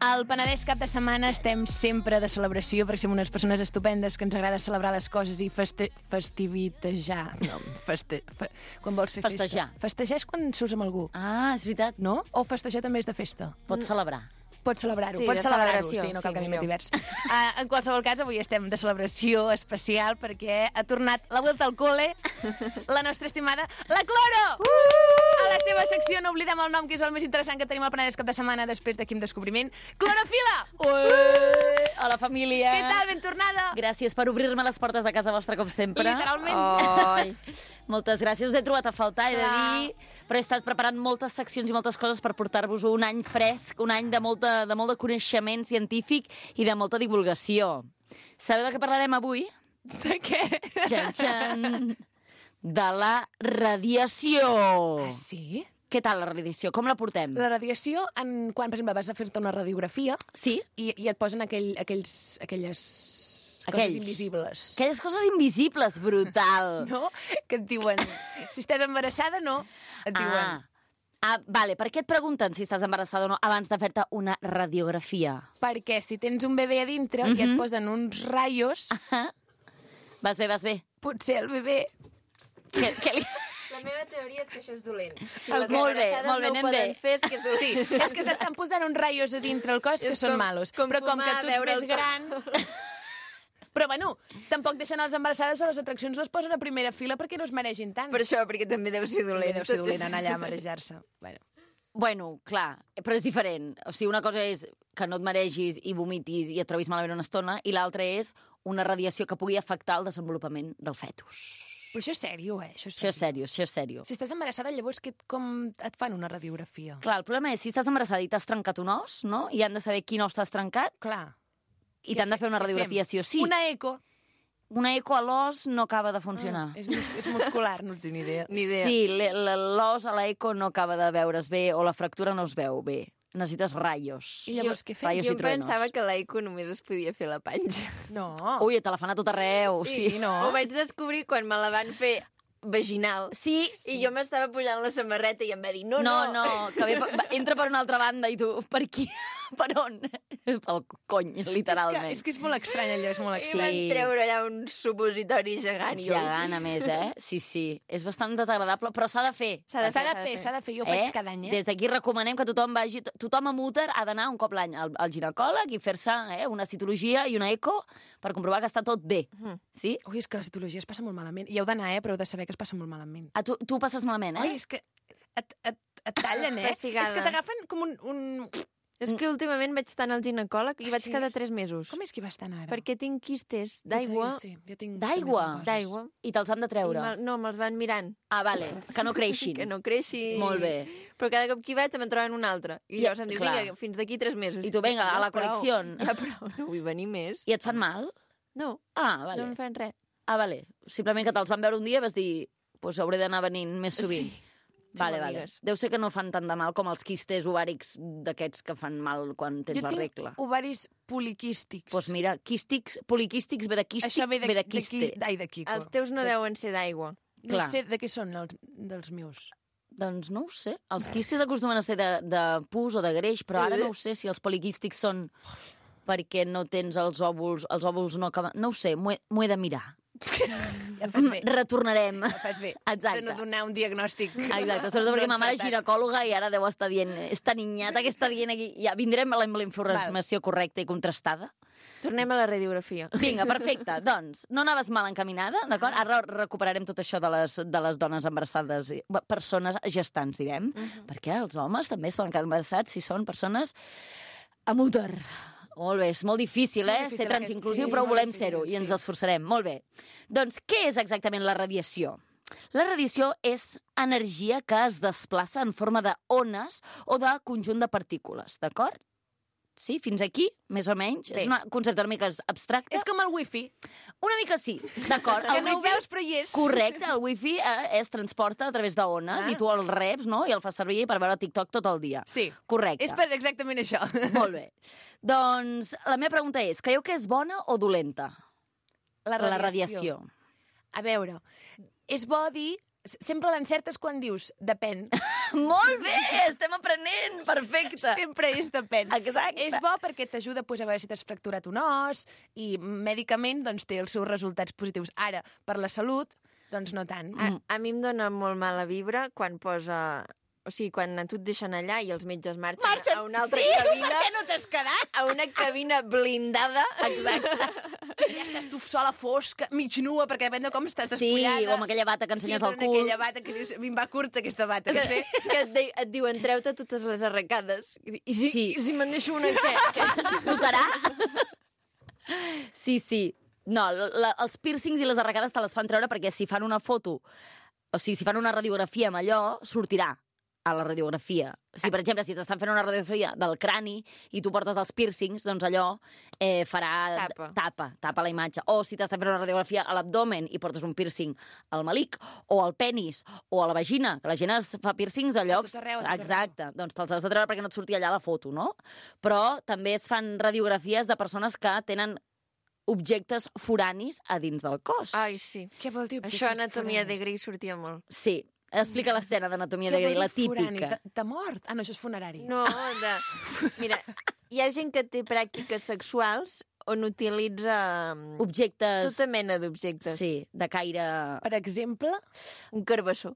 Al Penedès cap de setmana estem sempre de celebració perquè som unes persones estupendes que ens agrada celebrar les coses i feste... festivitejar. No, feste... Fe... Quan vols fer Festejar. festa. Festejar és quan surts amb algú. Ah, és veritat. No? O festejar també és de festa? Pots celebrar. Pots celebrar-ho, Sí, pots de celebrar-ho, celebració, sí, no sí, cal que millor. anem divers. Uh, en qualsevol cas, avui estem de celebració especial perquè ha tornat la vuelta al cole la nostra estimada, la Cloro! Uh! A la seva secció, no oblidem el nom, que és el més interessant que tenim al Penedès cap de setmana després de Quim Descobriment. Clorofila! Ué! Hola, família! Què tal, ben tornada? Gràcies per obrir-me les portes de casa vostra, com sempre. Literalment. Oi. Moltes gràcies. Us he trobat a faltar, he de Clar. dir, però he estat preparant moltes seccions i moltes coses per portar-vos un any fresc, un any de, molta, de molt de coneixement científic i de molta divulgació. Sabeu de què parlarem avui? De què? Txan, txan. De la radiació. Ah, sí? Què tal la radiació? Com la portem? La radiació, en, quan, per exemple, vas a fer-te una radiografia Sí? i, i et posen aquell, aquells, aquelles Aquells. coses invisibles. Aquelles coses invisibles, brutal. No? Que et diuen, si estàs embarassada, no. Et diuen, Ah. Ah, vale. Per què et pregunten si estàs embarassada o no abans de fer-te una radiografia? perquè si tens un bebè a dintre i et posen uns raios, Vas bé, vas bé. potser el bebè... Què, què li... La meva teoria és que això és dolent. Si El- les molt bé, embarassades molt bé, no anem ho poden bé. fer, és que és dolent. Sí, és que t'estan posant uns raios a dintre el cos que És són com- malos. com Però com que fumar, tu ets veure més el gran... Però, bueno, tampoc deixen les embarassades a les atraccions, les posen a primera fila perquè no es mereixin tant. Per això, perquè també deu ser dolent. Deu ser dolent anar allà a marejar-se. Bueno. Bueno, clar, però és diferent. O sigui, una cosa és que no et maregis i vomitis i et trobis malament una estona, i l'altra és una radiació que pugui afectar el desenvolupament del fetus. Però això és sèrio, eh? Això és Això és sèrio, això és sèrio. Si estàs embarassada, llavors que, com et fan una radiografia? Clar, el problema és si estàs embarassada i t'has trencat un os, no? I han de saber quin os t'has trencat. Clar. I t'han de fer una què radiografia fem? sí o sí. Una eco. Una eco a l'os no acaba de funcionar. Ah, és, mus és muscular, no tinc ni idea. Ni idea. Sí, le- le- l'os a l'eco no acaba de veure's bé, o la fractura no es veu bé. Necessites raios. I llavors què fem? Raios Jo i truenos. pensava que l'Aico només es podia fer a la panxa. No. Ui, te la fan a tot arreu. Sí, sí, no. Ho vaig descobrir quan me la van fer vaginal. Sí, I jo m'estava pujant la samarreta i em va dir, no, No, no. no, que ve, va, entra per una altra banda i tu, per aquí? Per on? Pel cony, literalment. És que, és que és molt estrany allò, és molt I estrany. van treure allà un supositori gegant. i jo- Gegant, a més, eh? Sí, sí. És bastant desagradable, però s'ha de fer. S'ha de S'ha de fer, fer, s'ha de fer. Jo ho faig cada any, eh? Des d'aquí recomanem que tothom vagi... Tothom amb úter ha d'anar un cop l'any al, al ginecòleg i fer-se eh, una citologia i una eco per comprovar que està tot bé. Sí? Ui, és que la citologia es passa molt malament. I heu d'anar, eh? Però heu de saber que es passa molt malament. A tu, tu ho passes malament, eh? Ui, és que et, et, et tallen, eh? Pessigada. És que t'agafen com un... un... És que últimament vaig estar al ginecòleg i Ah, vaig sí? cada tres mesos. Com és que hi vas tan ara? Perquè tinc quistes d'aigua. Sí, jo tinc... D'aigua? també coses. D'aigua. I te'ls han de I treure. me, no, me'ls van mirant. Ah, vale, que no creixin. Que no creixin. Molt bé. Però cada cop que hi vaig me'n troben un altre. I I- llavors em diu, clar. vinga, fins d'aquí tres mesos. I tu, vinga, a Ja la prou, colecció. Ja prou, no vull venir més. I et fan mal? No, Ah, no vale. em fan res. Ah, vale. Simplement que te'ls van veure un dia i vas dir, pues hauré d'anar venint més sovint. Sí. Vale, Som vale. amigues. Deu ser que no fan tant de mal com els quistes ovàrics d'aquests que fan mal quan tens Jo la tinc regla. ovaris poliquístics. Doncs pues mira, quístics, poliquístics ve de quístic, Això ve de, ve de de, quiste. qui- ai, de Quico. Els teus no deuen ser d'aigua. No Clar. sé de què són els, dels meus. Doncs no ho sé. Els quistes acostumen a ser de, de pus o de greix, però ara no ho sé si els poliquístics són perquè no tens els òvuls, els òvuls no acaben... No ho sé, m'ho he, m'ho he de mirar. Ja fas bé. Retornarem. Ja fas bé. Exacte. De no donar un diagnòstic. Exacte, sobretot perquè no ma mare és encertat. ginecòloga i ara deu estar dient esta niñata que està dient aquí. Ja vindrem amb la informació correcta i contrastada. Tornem a la radiografia. Vinga, perfecte. Doncs, no anaves mal encaminada, d'acord? Ara recuperarem tot això de les, de les dones embarassades, i- bé, persones gestants, direm, uh -huh. perquè els homes també es poden quedar embarassats si són persones amb úter. Molt bé, és molt difícil, És molt eh? difícil Ser aquest- transinclusiu, sí, però és molt volem difícil, ser-ho i ens sí. esforçarem. Molt bé. Doncs, què és exactament la radiació? La radiació és energia que es desplaça en forma d'ones o de conjunt de partícules, d'acord? Sí, fins aquí, més o menys. Bé. És un concepte una mica abstracte. És com el wifi. Una mica sí, d'acord. Que El no ho wifi- veus, però hi és. Correcte, el wifi eh, es transporta a través d'ones Ah. i tu el reps, no?, i el fas servir per veure TikTok tot el dia. Sí. Correcte. És per exactament això. Molt bé. Doncs la meva pregunta és, creieu que és bona o dolenta? La La radiació. A veure, és bo dir... Sempre l'encertes quan dius depèn. Molt bé, estem aprenent, perfecte. Sempre és depèn. Exacte. És bo perquè t'ajuda pues, a veure si t'has fracturat un os i mèdicament doncs, té els seus resultats positius. Ara, per la salut, doncs no tant. A, a mi em dona molt mala vibra quan posa... O sigui, quan a tu et deixen allà i els metges marxen, Marxen! a una altra Sí? cabina... Per què no t'has quedat? A una cabina blindada. Exacte. Ja estàs tu sola, fosca, mig nua, perquè depèn de com estàs Sí, despullada. o amb aquella bata que ensenyes sí, al però cul. aquella bata que dius, a mi em va curta aquesta bata, Que, no sé. que et, de, et diuen, treu-te totes les arracades. I si, Sí. i si me'n deixo una, què? què? Explotarà? Sí, sí. No, la, els pírcings i les arracades te les fan treure perquè si fan una foto, o sigui, si fan una radiografia amb allò, sortirà a la radiografia. Si, per exemple, si t'estan fent una radiografia del crani i tu portes els pírcings, doncs allò eh, farà... Tapa. Tapa, tapa la imatge. O si t'estan fent una radiografia a l'abdomen i portes un pírcing al melic, o al penis, o a la vagina, que la gent es fa pírcings a llocs... tot arreu, a tot Exacte. Doncs te'ls has de treure perquè no et surti allà la foto, no? Però també es fan radiografies de persones que tenen objectes foranis a dins del cos. Ai, sí. Què vol dir objectes Això, anatomia de foranis? Grey sortia molt. Sí. Explica l'escena d'Anatomia de Què vol Grey, la dir forani? típica. De, de mort? Ah, no, això és funerari. No, de... Mira, hi ha gent que té pràctiques sexuals on utilitza mm, Objectes... tota mena d'objectes. Sí, de caire... Per exemple... Un carbassó.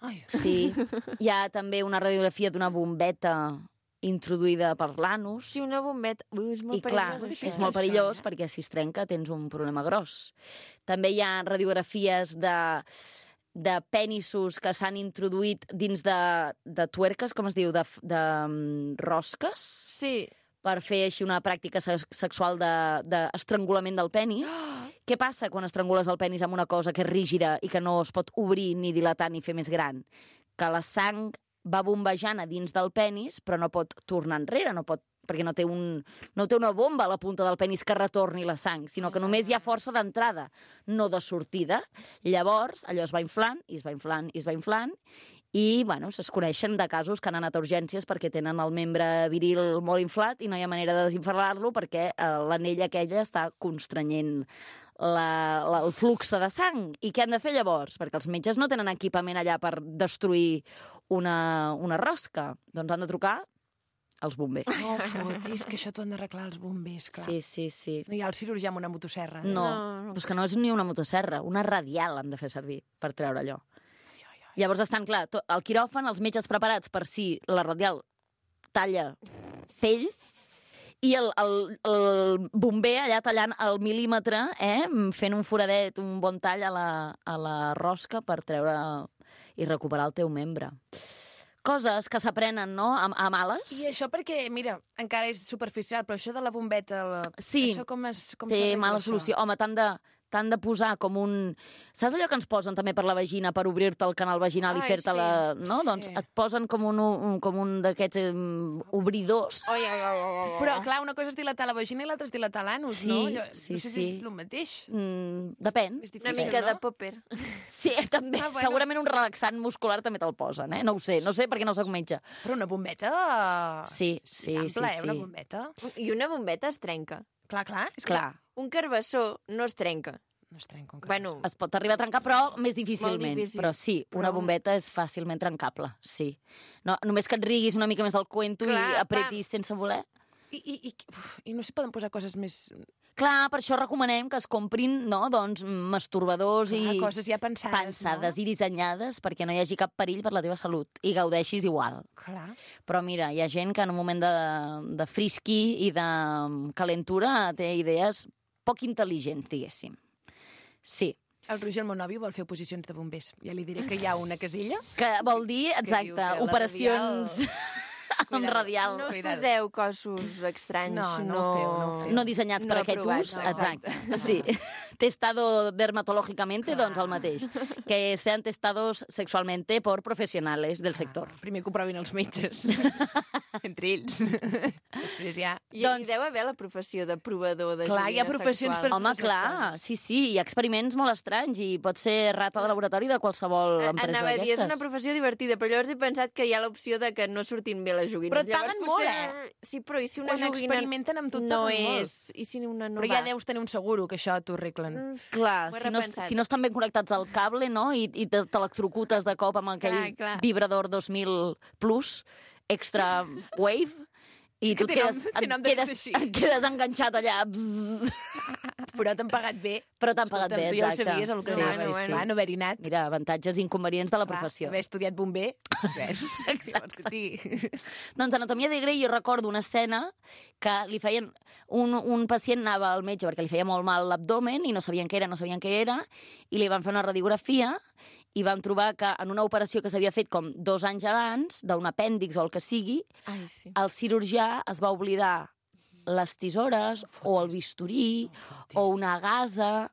Ai, Sí. Hi ha també una radiografia d'una bombeta introduïda per l'anus. Sí, una bombeta. Ui, és molt I clar, perillós, això. és molt perillós perquè si es trenca tens un problema gros. També hi ha radiografies de de penissos que s'han introduït dins de, de tuerques, com es diu, de, de um, rosques? Sí. Per fer així una pràctica se sexual d'estrangulament de, del penis. Oh. Què passa quan estrangules el penis amb una cosa que és rígida i que no es pot obrir ni dilatar ni fer més gran? Que la sang va bombejant a dins del penis, però no pot tornar enrere, no pot, perquè no té, un, no té una bomba a la punta del penis que retorni la sang, sinó que només hi ha força d'entrada, no de sortida. Llavors, allò es va inflant, i es va inflant, i es va inflant, i, bueno, es coneixen de casos que han anat a urgències perquè tenen el membre viril molt inflat i no hi ha manera de desinflar-lo perquè eh, l'anella aquella està constrenyent la, la, el flux de sang. I què han de fer llavors? Perquè els metges no tenen equipament allà per destruir una, una rosca. Doncs han de trucar als bombers. Oh, fotis, que això t'ho han d'arreglar els bombers, clar. Sí, sí, sí. No hi ha el cirurgià amb una motosserra. No, no, no, és que no és ni una motosserra, una radial han de fer servir per treure allò. Llavors estan, clar, tot, al quiròfan, els metges preparats per si la radial talla pell i el, el, el bomber allà tallant el mil·límetre, eh, fent un foradet, un bon tall a la, a la rosca per treure i recuperar el teu membre. Coses que s'aprenen, no?, a, a males. I això perquè, mira, encara és superficial, però això de la bombeta... La... Sí, això com es, com té mala això? solució. Home, t'han de... t'han de posar com un... Saps allò que ens posen també per la vagina, per obrir-te el canal vaginal Ai, i fer-te sí, la... No? sí. Doncs et posen com un, un, com un d'aquests um, obridors. Oi, oi, oi, oi. Però, clar, una cosa és dilatar la vagina i l'altra és dilatar l'anus, Sí, no? Allò, sí, no sé sí. si és el mateix. Mm, depèn. És Una difícil, mica no? de popper. Sí, també. Ah, bueno. Segurament un relaxant muscular també te'l posen, eh? No ho sé, no sé perquè no soc metge. Però una bombeta... Sí, sí, és ampla, sí, eh, una sí. bombeta. I una bombeta es trenca. Clar, clar. És Clar. Un carbassó no es trenca. No es trenca un Bueno, Es pot arribar a trencar, però més difícilment. difícil. Però sí, una Però- bombeta és fàcilment trencable, sí. No, només que et riguis una mica més del cuento Clar, i apretis sense voler. I, i, i, uf, I no s'hi poden posar coses més... Clar, per això recomanem que es comprin, no, doncs, masturbadors Clar, i coses ja pensades, pensades no? i dissenyades perquè no hi hagi cap perill per la teva salut i gaudeixis igual. Clar. Però mira, hi ha gent que en un moment de, de frisqui i de calentura té idees poc intel·ligents, diguéssim. Sí. El Roger, el meu nòvio, vol fer oposicions de bombers. Ja li diré que hi ha una casella. Que vol dir, diu exacte, que la operacions amb radial. no us Cuidado. poseu cossos estranys. No, no ho feu, no ho feu. No dissenyats no per aquest aprovats, ús, no, exacte. Sí. Testado dermatológicamente, doncs el mateix. Que sean testados sexualmente por profesionales del sector. Primer que ho provin els metges. Entre ells. Després ja... I Doncs- hi deu haver la professió de provador de Clar, hi ha joguina professions sexual. per- Home, totes les clar, coses. sí, sí, hi ha experiments molt estranys i pot ser rata de laboratori de qualsevol empresa Anava a dir, és d'aquestes. una professió divertida, però llavors he pensat que hi ha l'opció de que no surtin bé les joguines. Però et llavors, paguen potser... molt, eh? Sí, però i si una Quan joguina experimenten amb tu, et no paguen molt. és... I si una no Però va? ja deus tenir un seguro que això t'ho arreglen. Mm, Clar, Ho he si no, repensat. si no estan ben connectats al cable, no?, i, i te- t'electrocutes de cop amb aquell Clar, clar. vibrador dos mil plus, extra wave, i És que tu et té quedes, nom- té et, nom de quedes, ser així. et quedes enganxat allà. Bzzz. Però t'han pagat bé. Però t'han pagat Escolta'm, bé, tu ja ho exacte. sabies, el que Sí, anaves. sí, sí. Clar, no haver-hi anat. Mira, avantatges i inconvenients de la Clar, professió. haver estudiat bomber, res. Exacte. Exacte. Doncs Anatomia de Grey jo recordo una escena que li feien... Un, un pacient anava al metge perquè li feia molt mal l'abdomen i no sabien què era, no sabien què era, i li van fer una radiografia i van trobar que en una operació que s'havia fet com dos anys abans, d'un apèndix o el que sigui, Ai, sí. el cirurgià es va oblidar les tisores o el bisturí o una gasa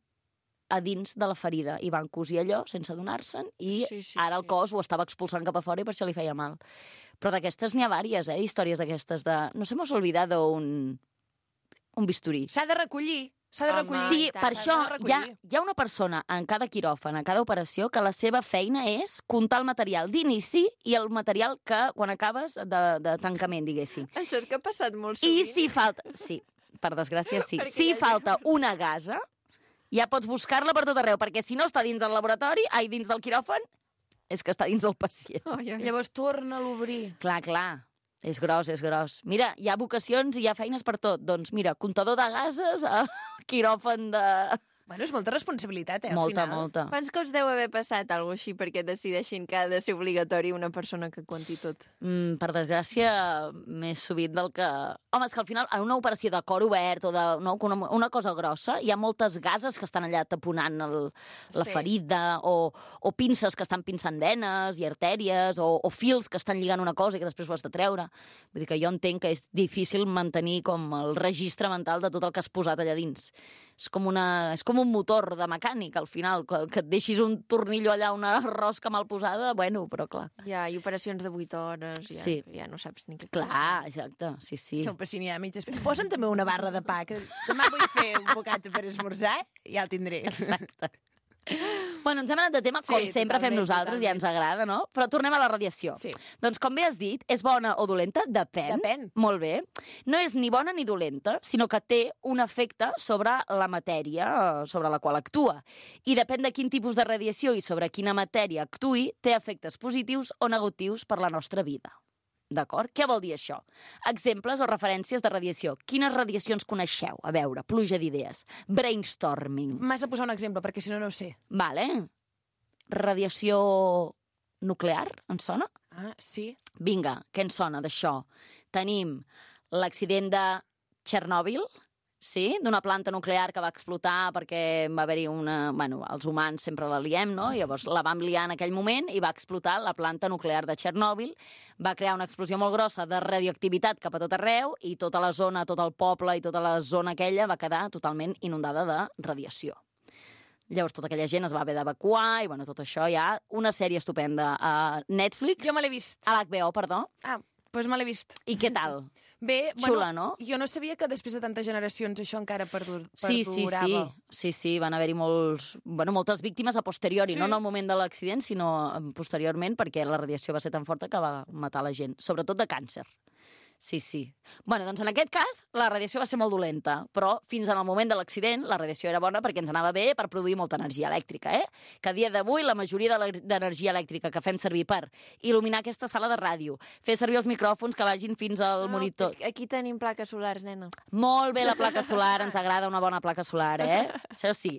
a dins de la ferida i van cosir allò sense adonar-se'n i Sí, sí, ara el sí. cos ho estava expulsant cap a fora i per això li feia mal. Però d'aquestes n'hi ha vàries, eh? Històries d'aquestes de... No se m'ha olvidat un... un bisturí. S'ha de recollir. S'ha de Home, recollir. Sí, i tant. per això S'ha de hi ha, recollir. hi ha una persona en cada quiròfan, en cada operació, que la seva feina és comptar el material d'inici i el material que, quan acabes, de, de tancament, diguéssim. Això és que ha passat molt I sovint. si falta... Sí, per desgràcia, sí. Perquè Si hi ha falta una gasa, ja pots buscar-la per tot arreu, perquè si no està dins del laboratori, ai, dins del quiròfan, és que està dins del pacient. Ai, ai. Llavors torna a l'obrir. Clar, clar. És gros, és gros. Mira, hi ha vocacions i hi ha feines per tot. Doncs mira, comptador de gases, al quiròfan de... Bueno, és molta responsabilitat, eh, al Molta, final. molta. Quants cops deu haver passat alguna així perquè decideixin que ha de ser obligatori una persona que conti tot? Mm, per desgràcia, més sovint del que... Home, és que al final, en una operació de cor obert o de no, una, una cosa grossa, hi ha moltes gases que estan allà taponant el, la Sí. ferida, o, o pinces que estan pinçant venes i artèries, o, o fils que estan lligant una cosa i que després ho has de treure. Vull dir que jo entenc que és difícil mantenir com el registre mental de tot el que has posat allà dins. És com, una, és com un motor de mecànic, al final, que, que et deixis un tornillo allà, una rosca mal posada, bueno, però clar. Ja, i operacions de vuit hores, ja, Sí. ja no saps ni què... Clar, exacte, sí, sí. No, però si n'hi ha mitges... Posa'm també una barra de pa, que demà vull fer un bocata per esmorzar i ja el tindré. Exacte. Bueno, ens hem anat de tema, com Sí, sempre fem totalment, nosaltres, ja ens agrada, no? Però tornem a la radiació. Sí. Doncs, com bé has dit, és bona o dolenta? Depèn. Depèn. Molt bé. No és ni bona ni dolenta, sinó que té un efecte sobre la matèria eh, sobre la qual actua. I depèn de quin tipus de radiació i sobre quina matèria actui, té efectes positius o negatius per la nostra vida. D'acord? Què vol dir això? Exemples o referències de radiació. Quines radiacions coneixeu? A veure, pluja d'idees. Brainstorming. M'has de posar un exemple, perquè si no, no ho sé. Vale. Radiació nuclear, ens sona? Ah, sí. Vinga, què ens sona d'això? Tenim l'accident de Txernòbil, sí? D'una planta nuclear que va explotar perquè va haver-hi una... Bueno, els humans sempre la liem, no? Llavors la vam liar en aquell moment i va explotar la planta nuclear de Txernòbil, va crear una explosió molt grossa de radioactivitat cap a tot arreu i tota la zona, tot el poble i tota la zona aquella va quedar totalment inundada de radiació. Llavors tota aquella gent es va haver d'evacuar i bueno, tot això hi ha una sèrie estupenda a Netflix. Jo me l'he vist. A l'H B O, perdó. Ah, doncs me l'he vist. I què tal? Bé, Xula, bueno, no? jo no sabia que després de tantes generacions això encara perdur, Sí, sí, perdurava. sí. Sí, sí, van haver-hi molts, bueno, moltes víctimes a posteriori, Sí. no en el moment de l'accident, sinó posteriorment, perquè la radiació va ser tan forta que va matar la gent, sobretot de càncer. Sí, sí. Bueno, doncs en aquest cas, la radiació va ser molt dolenta, però fins al moment de l'accident la radiació era bona perquè ens anava bé per produir molta energia elèctrica, eh? Que a dia d'avui la majoria de l'e- d'energia elèctrica que fem servir per il·luminar aquesta sala de ràdio, fer servir els micròfons que vagin fins al monitor... Aquí, aquí tenim plaques solars, nena. Molt bé la placa solar, ens agrada una bona placa solar, eh? Això sí.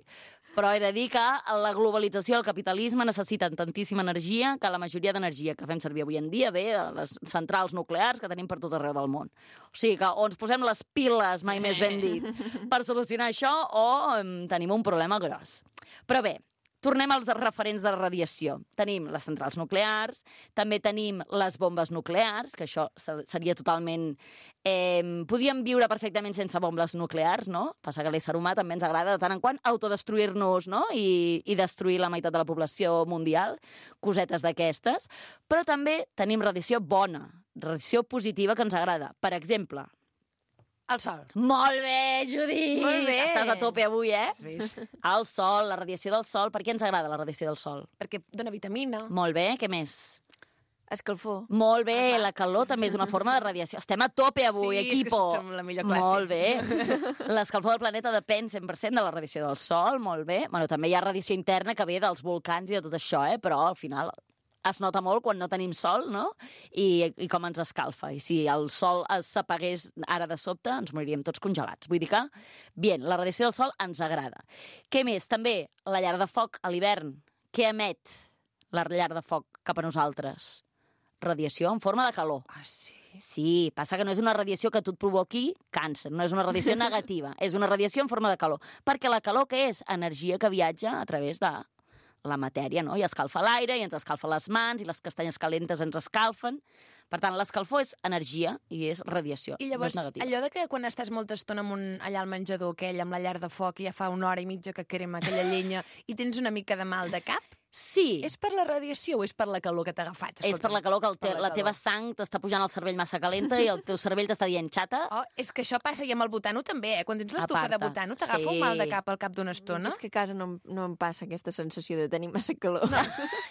Però he de dir que la globalització i el capitalisme necessiten tantíssima energia que la majoria d'energia que fem servir avui en dia ve de les centrals nuclears que tenim per tot arreu del món. O sigui que o ens posem les piles, mai més ben dit, per solucionar això o em, tenim un problema gros. Però bé, tornem als referents de radiació. Tenim les centrals nuclears, també tenim les bombes nuclears, que això se- seria totalment... Eh, podríem viure perfectament sense bombes nuclears, no? Passa que a l'ésser humà també ens agrada de tant en quant autodestruir-nos, no? I, i destruir la meitat de la població mundial, cosetes d'aquestes. Però també tenim radiació bona, radiació positiva que ens agrada. Per exemple... El sol. Molt bé, Judit! Molt bé. Estàs a tope avui, eh? Has vist? El sol, la radiació del sol. Per què ens agrada la radiació del sol? Perquè dona vitamina. Molt bé, què més? Escalfor. Molt bé, la calor també és una forma de radiació. Estem a tope avui, Sí, és que equipo. som la millor classe. Molt bé. L'escalfor del planeta depèn cent per cent de la radiació del sol, molt bé. Bueno, també hi ha radiació interna que ve dels volcans i de tot això, eh? Però al final es nota molt quan no tenim sol, no? I, i com ens escalfa. I si el sol s'apagués ara de sobte, ens moriríem tots congelats. Vull dir que, bien, la radiació del sol ens agrada. Què més? També la llar de foc a l'hivern. Què emet la llar de foc cap a nosaltres? Radiació en forma de calor. Ah, sí? Sí, passa que no és una radiació que tu et provoqui càncer, no és una radiació negativa, és una radiació en forma de calor. Perquè la calor què és? Energia que viatja a través de la matèria, no? I escalfa l'aire, i ens escalfa les mans, i les castanyes calentes ens escalfen. Per tant, l'escalfor és energia i és radiació, I llavors, no és negativa. allò de que quan estàs molta estona amb un, allà al menjador aquell, amb la llar de foc, i ja fa una hora i mitja que crema aquella llenya, i tens una mica de mal de cap, Sí, és per la radiació o és per la calor que t'ha agafat? és per la calor que el per te, la la calor. teva sang t'està pujant al cervell massa calenta i el teu cervell t'està dient xata. Oh, és que això passa i amb el butano també, eh? Quan tens l'estufa de Aparta. butano t'agafa Sí. un mal de cap al cap d'una estona. És que a casa no, em- no em passa aquesta sensació de tenir massa calor. No.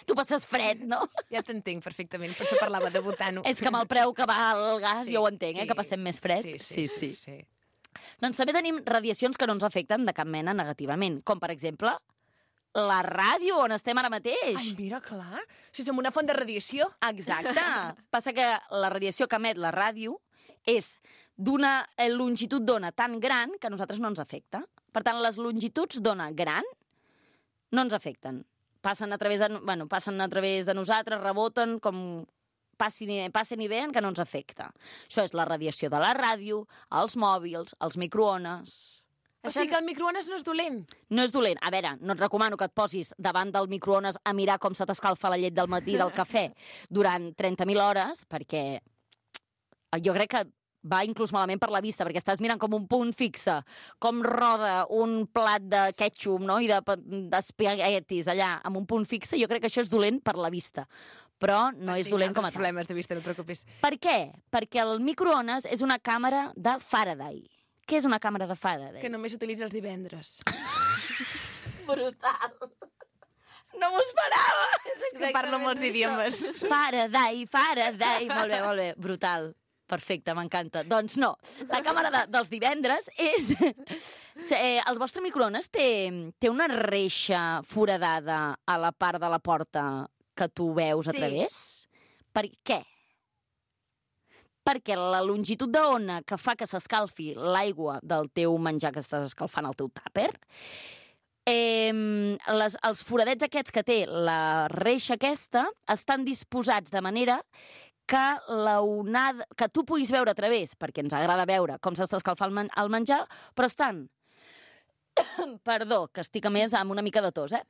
Tu passes fred, no? Ja t'entenc perfectament, per això parlava de butano. És que amb el preu que va el gas, Sí, jo ho entenc, eh, sí. que passem més fred. Sí, sí, sí. sí. Doncs també tenim radiacions que no ens afecten de cap mena negativament, com per exemple la ràdio on estem ara mateix. Ai, mira, clar. Si som una font de radiació. Exacte. Passa que la radiació que emet la ràdio és d'una eh, longitud d'ona tan gran que a nosaltres no ens afecta. Per tant, les longituds d'ona gran no ens afecten. Passen a través de, bueno, passen a través de nosaltres, reboten, com passin, i- passen i veuen que no ens afecta. Això és la radiació de la ràdio, els mòbils, els microones... O sigui que el microones no és dolent. No és dolent. A veure, no et recomano que et posis davant del microones a mirar com se t'escalfa la llet del matí del cafè durant trenta mil hores, perquè jo crec que va inclús malament per la vista, perquè estàs mirant com un punt fixe, com roda un plat de ketchup, no?, i de- d'espaguetis allà, amb un punt fixe. Jo crec que això és dolent per la vista, però no és dolent com a tal. problemes de vista, no et preocupis. Per què? Perquè el microones és una càmera de Faraday. Què és una càmera de Faraday? Que només s'utilitza els divendres. Brutal. No m'ho esperava. És que parlo molts idiomes. Faraday, Faraday. Molt bé, molt bé. Brutal. Perfecte, m'encanta. Doncs no, la càmera de, dels divendres és... Eh, el vostre microones té, té una reixa foradada a la part de la porta que tu veus a Sí. través? Per què? Perquè la longitud d'ona que fa que s'escalfi l'aigua del teu menjar que estàs escalfant al teu tàper, eh, les, els foradets aquests que té la reixa aquesta estan disposats de manera que la onada, que tu puguis veure a través, perquè ens agrada veure com s'està escalfant el, men el menjar, però estan, perdó, que estic a més amb una mica de tos, eh?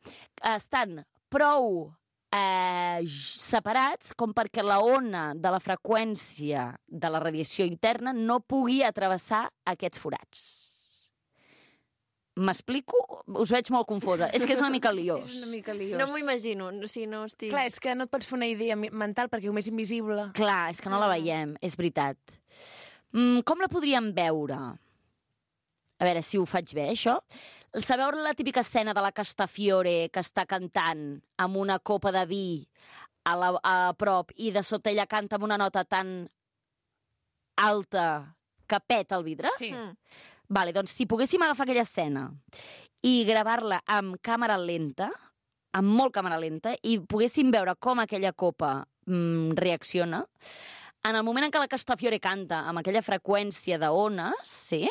Estan prou eh, separats com perquè la ona de la freqüència de la radiació interna no pugui atravessar aquests forats. M'explico? Us veig molt confosa. És que és una mica liós. És una mica liós. No m'ho imagino, o sigui, no estic... Clar, és que no et pots fer una idea mi- mental perquè com és invisible. Clar, és que no la veiem, és veritat. Mm, com la podríem veure? A veure si ho faig bé, això. Sabeu la típica escena de la Castafiore que està cantant amb una copa de vi a, la, a prop i de sota ella canta amb una nota tan alta que peta el vidre? Sí. Mm. Vale, doncs si poguéssim agafar aquella escena i gravar-la amb càmera lenta, amb molt càmera lenta, i poguéssim veure com aquella copa mm, reacciona, en el moment en què la Castafiore canta amb aquella freqüència d'ones, sí,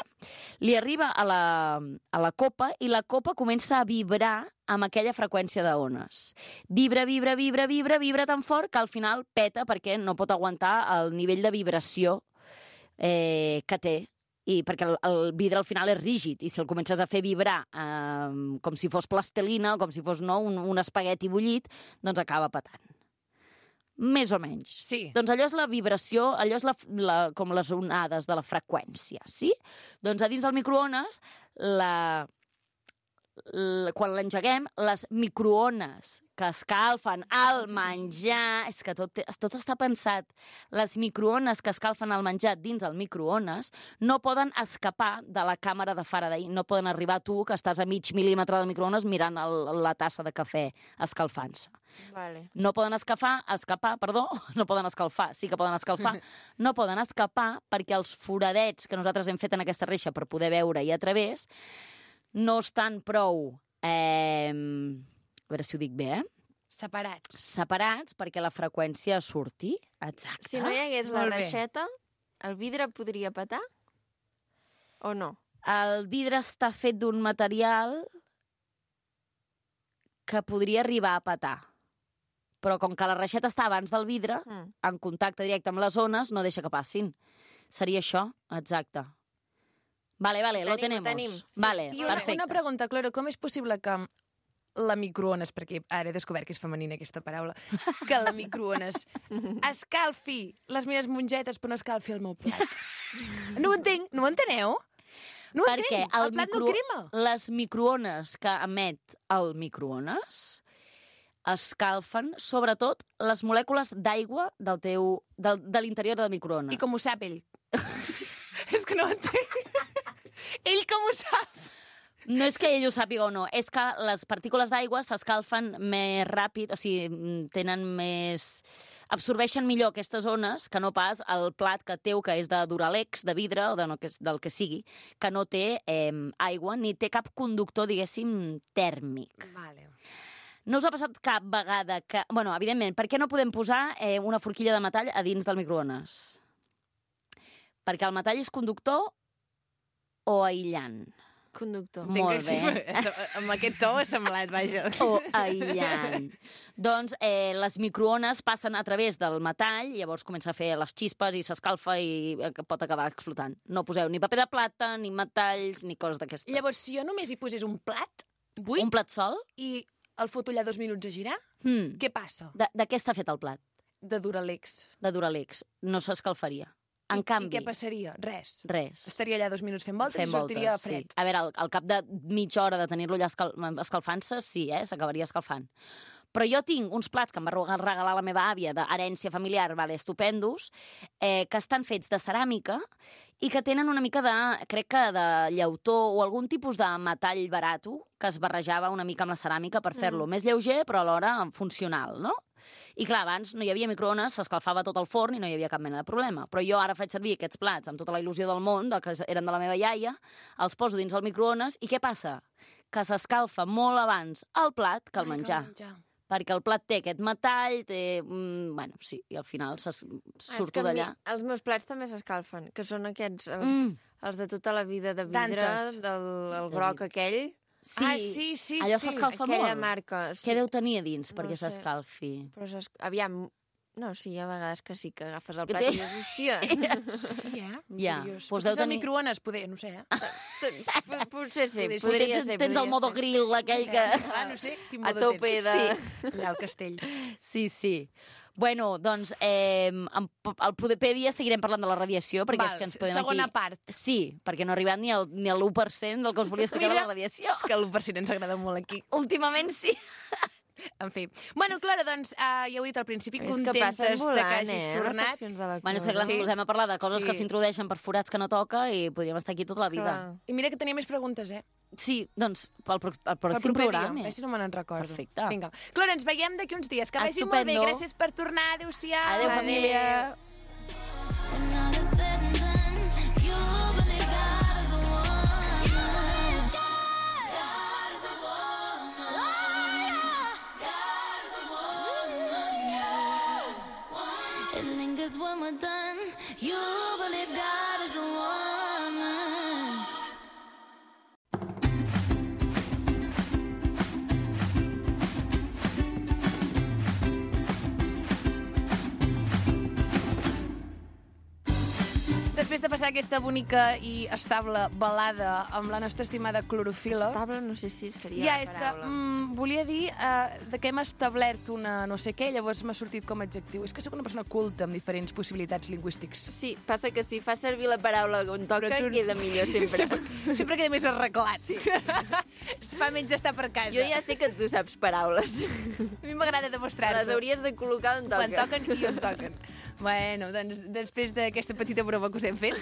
li arriba a la, a la copa i la copa comença a vibrar amb aquella freqüència d'ones. Vibra, vibra, vibra, vibra, vibra tan fort que al final peta perquè no pot aguantar el nivell de vibració eh, que té. I perquè el, el vidre al final és rígid i si el comences a fer vibrar eh, com si fos plastelina o com si fos no, un, un espagueti bullit, doncs acaba petant. Més o menys. Sí. Doncs allò és la vibració, allò és la, la, com les onades de la freqüència, sí? Doncs a dins del microones, la, la, quan l'engeguem, les microones que escalfen el menjar... És que tot, té- tot està pensat. Les microones que escalfen el menjar dins el microones no poden escapar de la càmera de Faraday. No poden arribar tu, que estàs a mig mil·límetre del microones, mirant el, la tassa de cafè escalfant-se. Vale. No poden escapar, escapar, perdó, no poden escalfar, sí que poden escalfar, no poden escapar perquè els foradets que nosaltres hem fet en aquesta reixa per poder veure-hi a través no estan prou, eh, a veure si ho dic bé, eh? Separats. Separats perquè la freqüència surti. Exacte. Si no hi hagués la Molt bé. reixeta, el vidre podria petar? O no? El vidre està fet d'un material que podria arribar a petar. Però com que la reixeta està abans del vidre, Mm. en contacte directe amb les ones, no deixa que passin. Seria això, exacte. Vale, vale, Ho lo tenim, ho tenemos. tenim. Sí. Vale, I una, perfecte. una pregunta, Cloro, com és possible que la microones, perquè ara he descobert que és femenina aquesta paraula, que la microones escalfi les meves mongetes però no escalfi el meu plat? No ho entenc, no ho enteneu? No ho Perquè entenc, el, plat no crema. les microones que emet el microones escalfen, sobretot, les molècules d'aigua del teu, del, de l'interior del microones. I com ho sap ell? És que no ho entenc. Ell com ho sap? No és que ell ho sàpiga o no, és que les partícules d'aigua s'escalfen més ràpid, o sigui, tenen més... absorbeixen millor aquestes ones que no pas el plat que teu, que és de Duralex, de vidre, o de no, que és del que sigui, que no té eh, aigua ni té cap conductor, diguéssim, tèrmic. Vale. No us ha passat cap vegada que... Bueno, evidentment, per què no podem posar eh, una forquilla de metall a dins del microones? Perquè el metall és conductor o aïllant? Conductor. Molt bé. Amb aquest to ha semblat, vaja. O aïllant. Doncs eh, les microones passen a través del metall i llavors comença a fer les xispes i s'escalfa i eh, pot acabar explotant. No poseu ni paper de plata, ni metalls, ni coses d'aquestes. Llavors, si jo només hi posés un plat buit... Un plat sol? I el foto allà dos minuts a girar, Hmm. què passa? De, de què està fet el plat? De Duralex. De Duralex. No s'escalfaria. En I, canvi... I què passaria? Res. Res. Estaria allà dos minuts fent voltes Fent i sortiria voltes, fred. Sí. A veure, al, al cap de mitja hora de tenir-lo allà escal, escalfant-se, sí, eh? S'acabaria escalfant. Però jo tinc uns plats que em va regalar la meva àvia d'herència familiar, vale, estupendos, eh, que estan fets de ceràmica i que tenen una mica de, crec que de llautó o algun tipus de metall barato que es barrejava una mica amb la ceràmica per fer-lo mm. més lleuger, però alhora funcional, no? I clar, abans no hi havia microones, s'escalfava tot el forn i no hi havia cap mena de problema. Però jo ara faig servir aquests plats amb tota la il·lusió del món, de que eren de la meva iaia, els poso dins el microones i què passa? Que s'escalfa molt abans el plat que el menjar. Ai, que el menjar. Perquè el plat té aquest metall, té... Mm, bueno, sí, i al final se surto d'allà. Els meus plats també s'escalfen, que són aquests, els, Mm. els de tota la vida de vidre, Dantes. del el groc aquell. Sí, Ah, sí, sí, allò sí. s'escalfa molt. Aquella marca. Sí. Què deu tenir a dins No perquè sé. s'escalfi? Però s'es- aviam, no, sí, hi ha vegades que sí, que agafes el Que plat té- i dius, hòstia, Sí, eh? Ja, Curiós. doncs Potser deu és el tenir- microones, poder, no sé, eh? P- potser sí, Potser sí. podria tens, ser. tens el podria modo ser. grill aquell que... Ah, no sé, quin A modo tope tens. de... Allà al castell. Sí, sí. Bueno, doncs, eh, amb, al Podepèdia seguirem parlant de la radiació, perquè Val, és que ens podem segona aquí... part. Sí, perquè no ha arribat ni al, ni a l'u per cent del que us volia explicar de la radiació. És que l'u per cent ens agrada molt aquí. Últimament sí. En fi. Bueno, Clara, doncs, uh, ja ho he dit al principi, És que contentes passen de que volant, hagis eh, les tornat. seccions de la Bueno, és que clar, ens Sí. posem a parlar de coses Sí. que s'introdueixen per forats que no toca i podríem estar aquí tota la vida. Clar. I mira que tenia més preguntes, eh? Sí, doncs, pel, pro- pel Pel pròxim proper dia. programa. A veure si no me n'en recordo. Perfecte. Vinga. Clara, ens veiem d'aquí uns dies. Que vagi molt bé. Estupendo. Gràcies per tornar. Adéu-siau. Adéu, família. When all is said and done, you believe God is a woman. God is a woman. God is a woman. Yeah. It lingers when we're done. You believe God is a woman. Després de passar aquesta bonica i estable balada amb la nostra estimada clorofila... Estable, no sé si seria Ja, la és que paraula. mm, volia dir uh, de que hem establert una no sé què, llavors m'ha sortit com a adjectiu. És que sóc una persona culta amb diferents possibilitats lingüístics. Sí, passa que si fa servir la paraula on toca, Però tu- queda millor sempre. sempre, sempre queda més arreglat. Sí. Es fa menys estar per casa. Jo ja sé que tu saps paraules. A mi m'agrada demostrar-ho. Les hauries de col·locar on toca. Quan toquen i on toquen. Bueno, doncs després d'aquesta petita broma que us hem fet,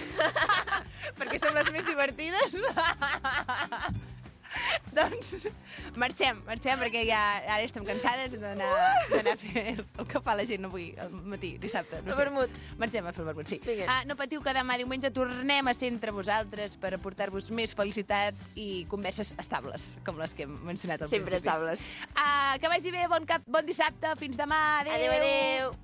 perquè som les més divertides, doncs marxem, marxem, perquè ja ara estem cansades d'anar d'anar a fer el que fa la gent avui, al matí, dissabte. No El sé. vermut. Marxem a fer el vermut, sí. Vinga. Ah, no patiu que demà diumenge tornem a ser entre vosaltres per aportar-vos més felicitat i converses estables, com les que hem mencionat al Sempre principi. estables. Ah, que vagi bé, bon, cap, bon dissabte, fins demà, adéu. Adéu, adéu.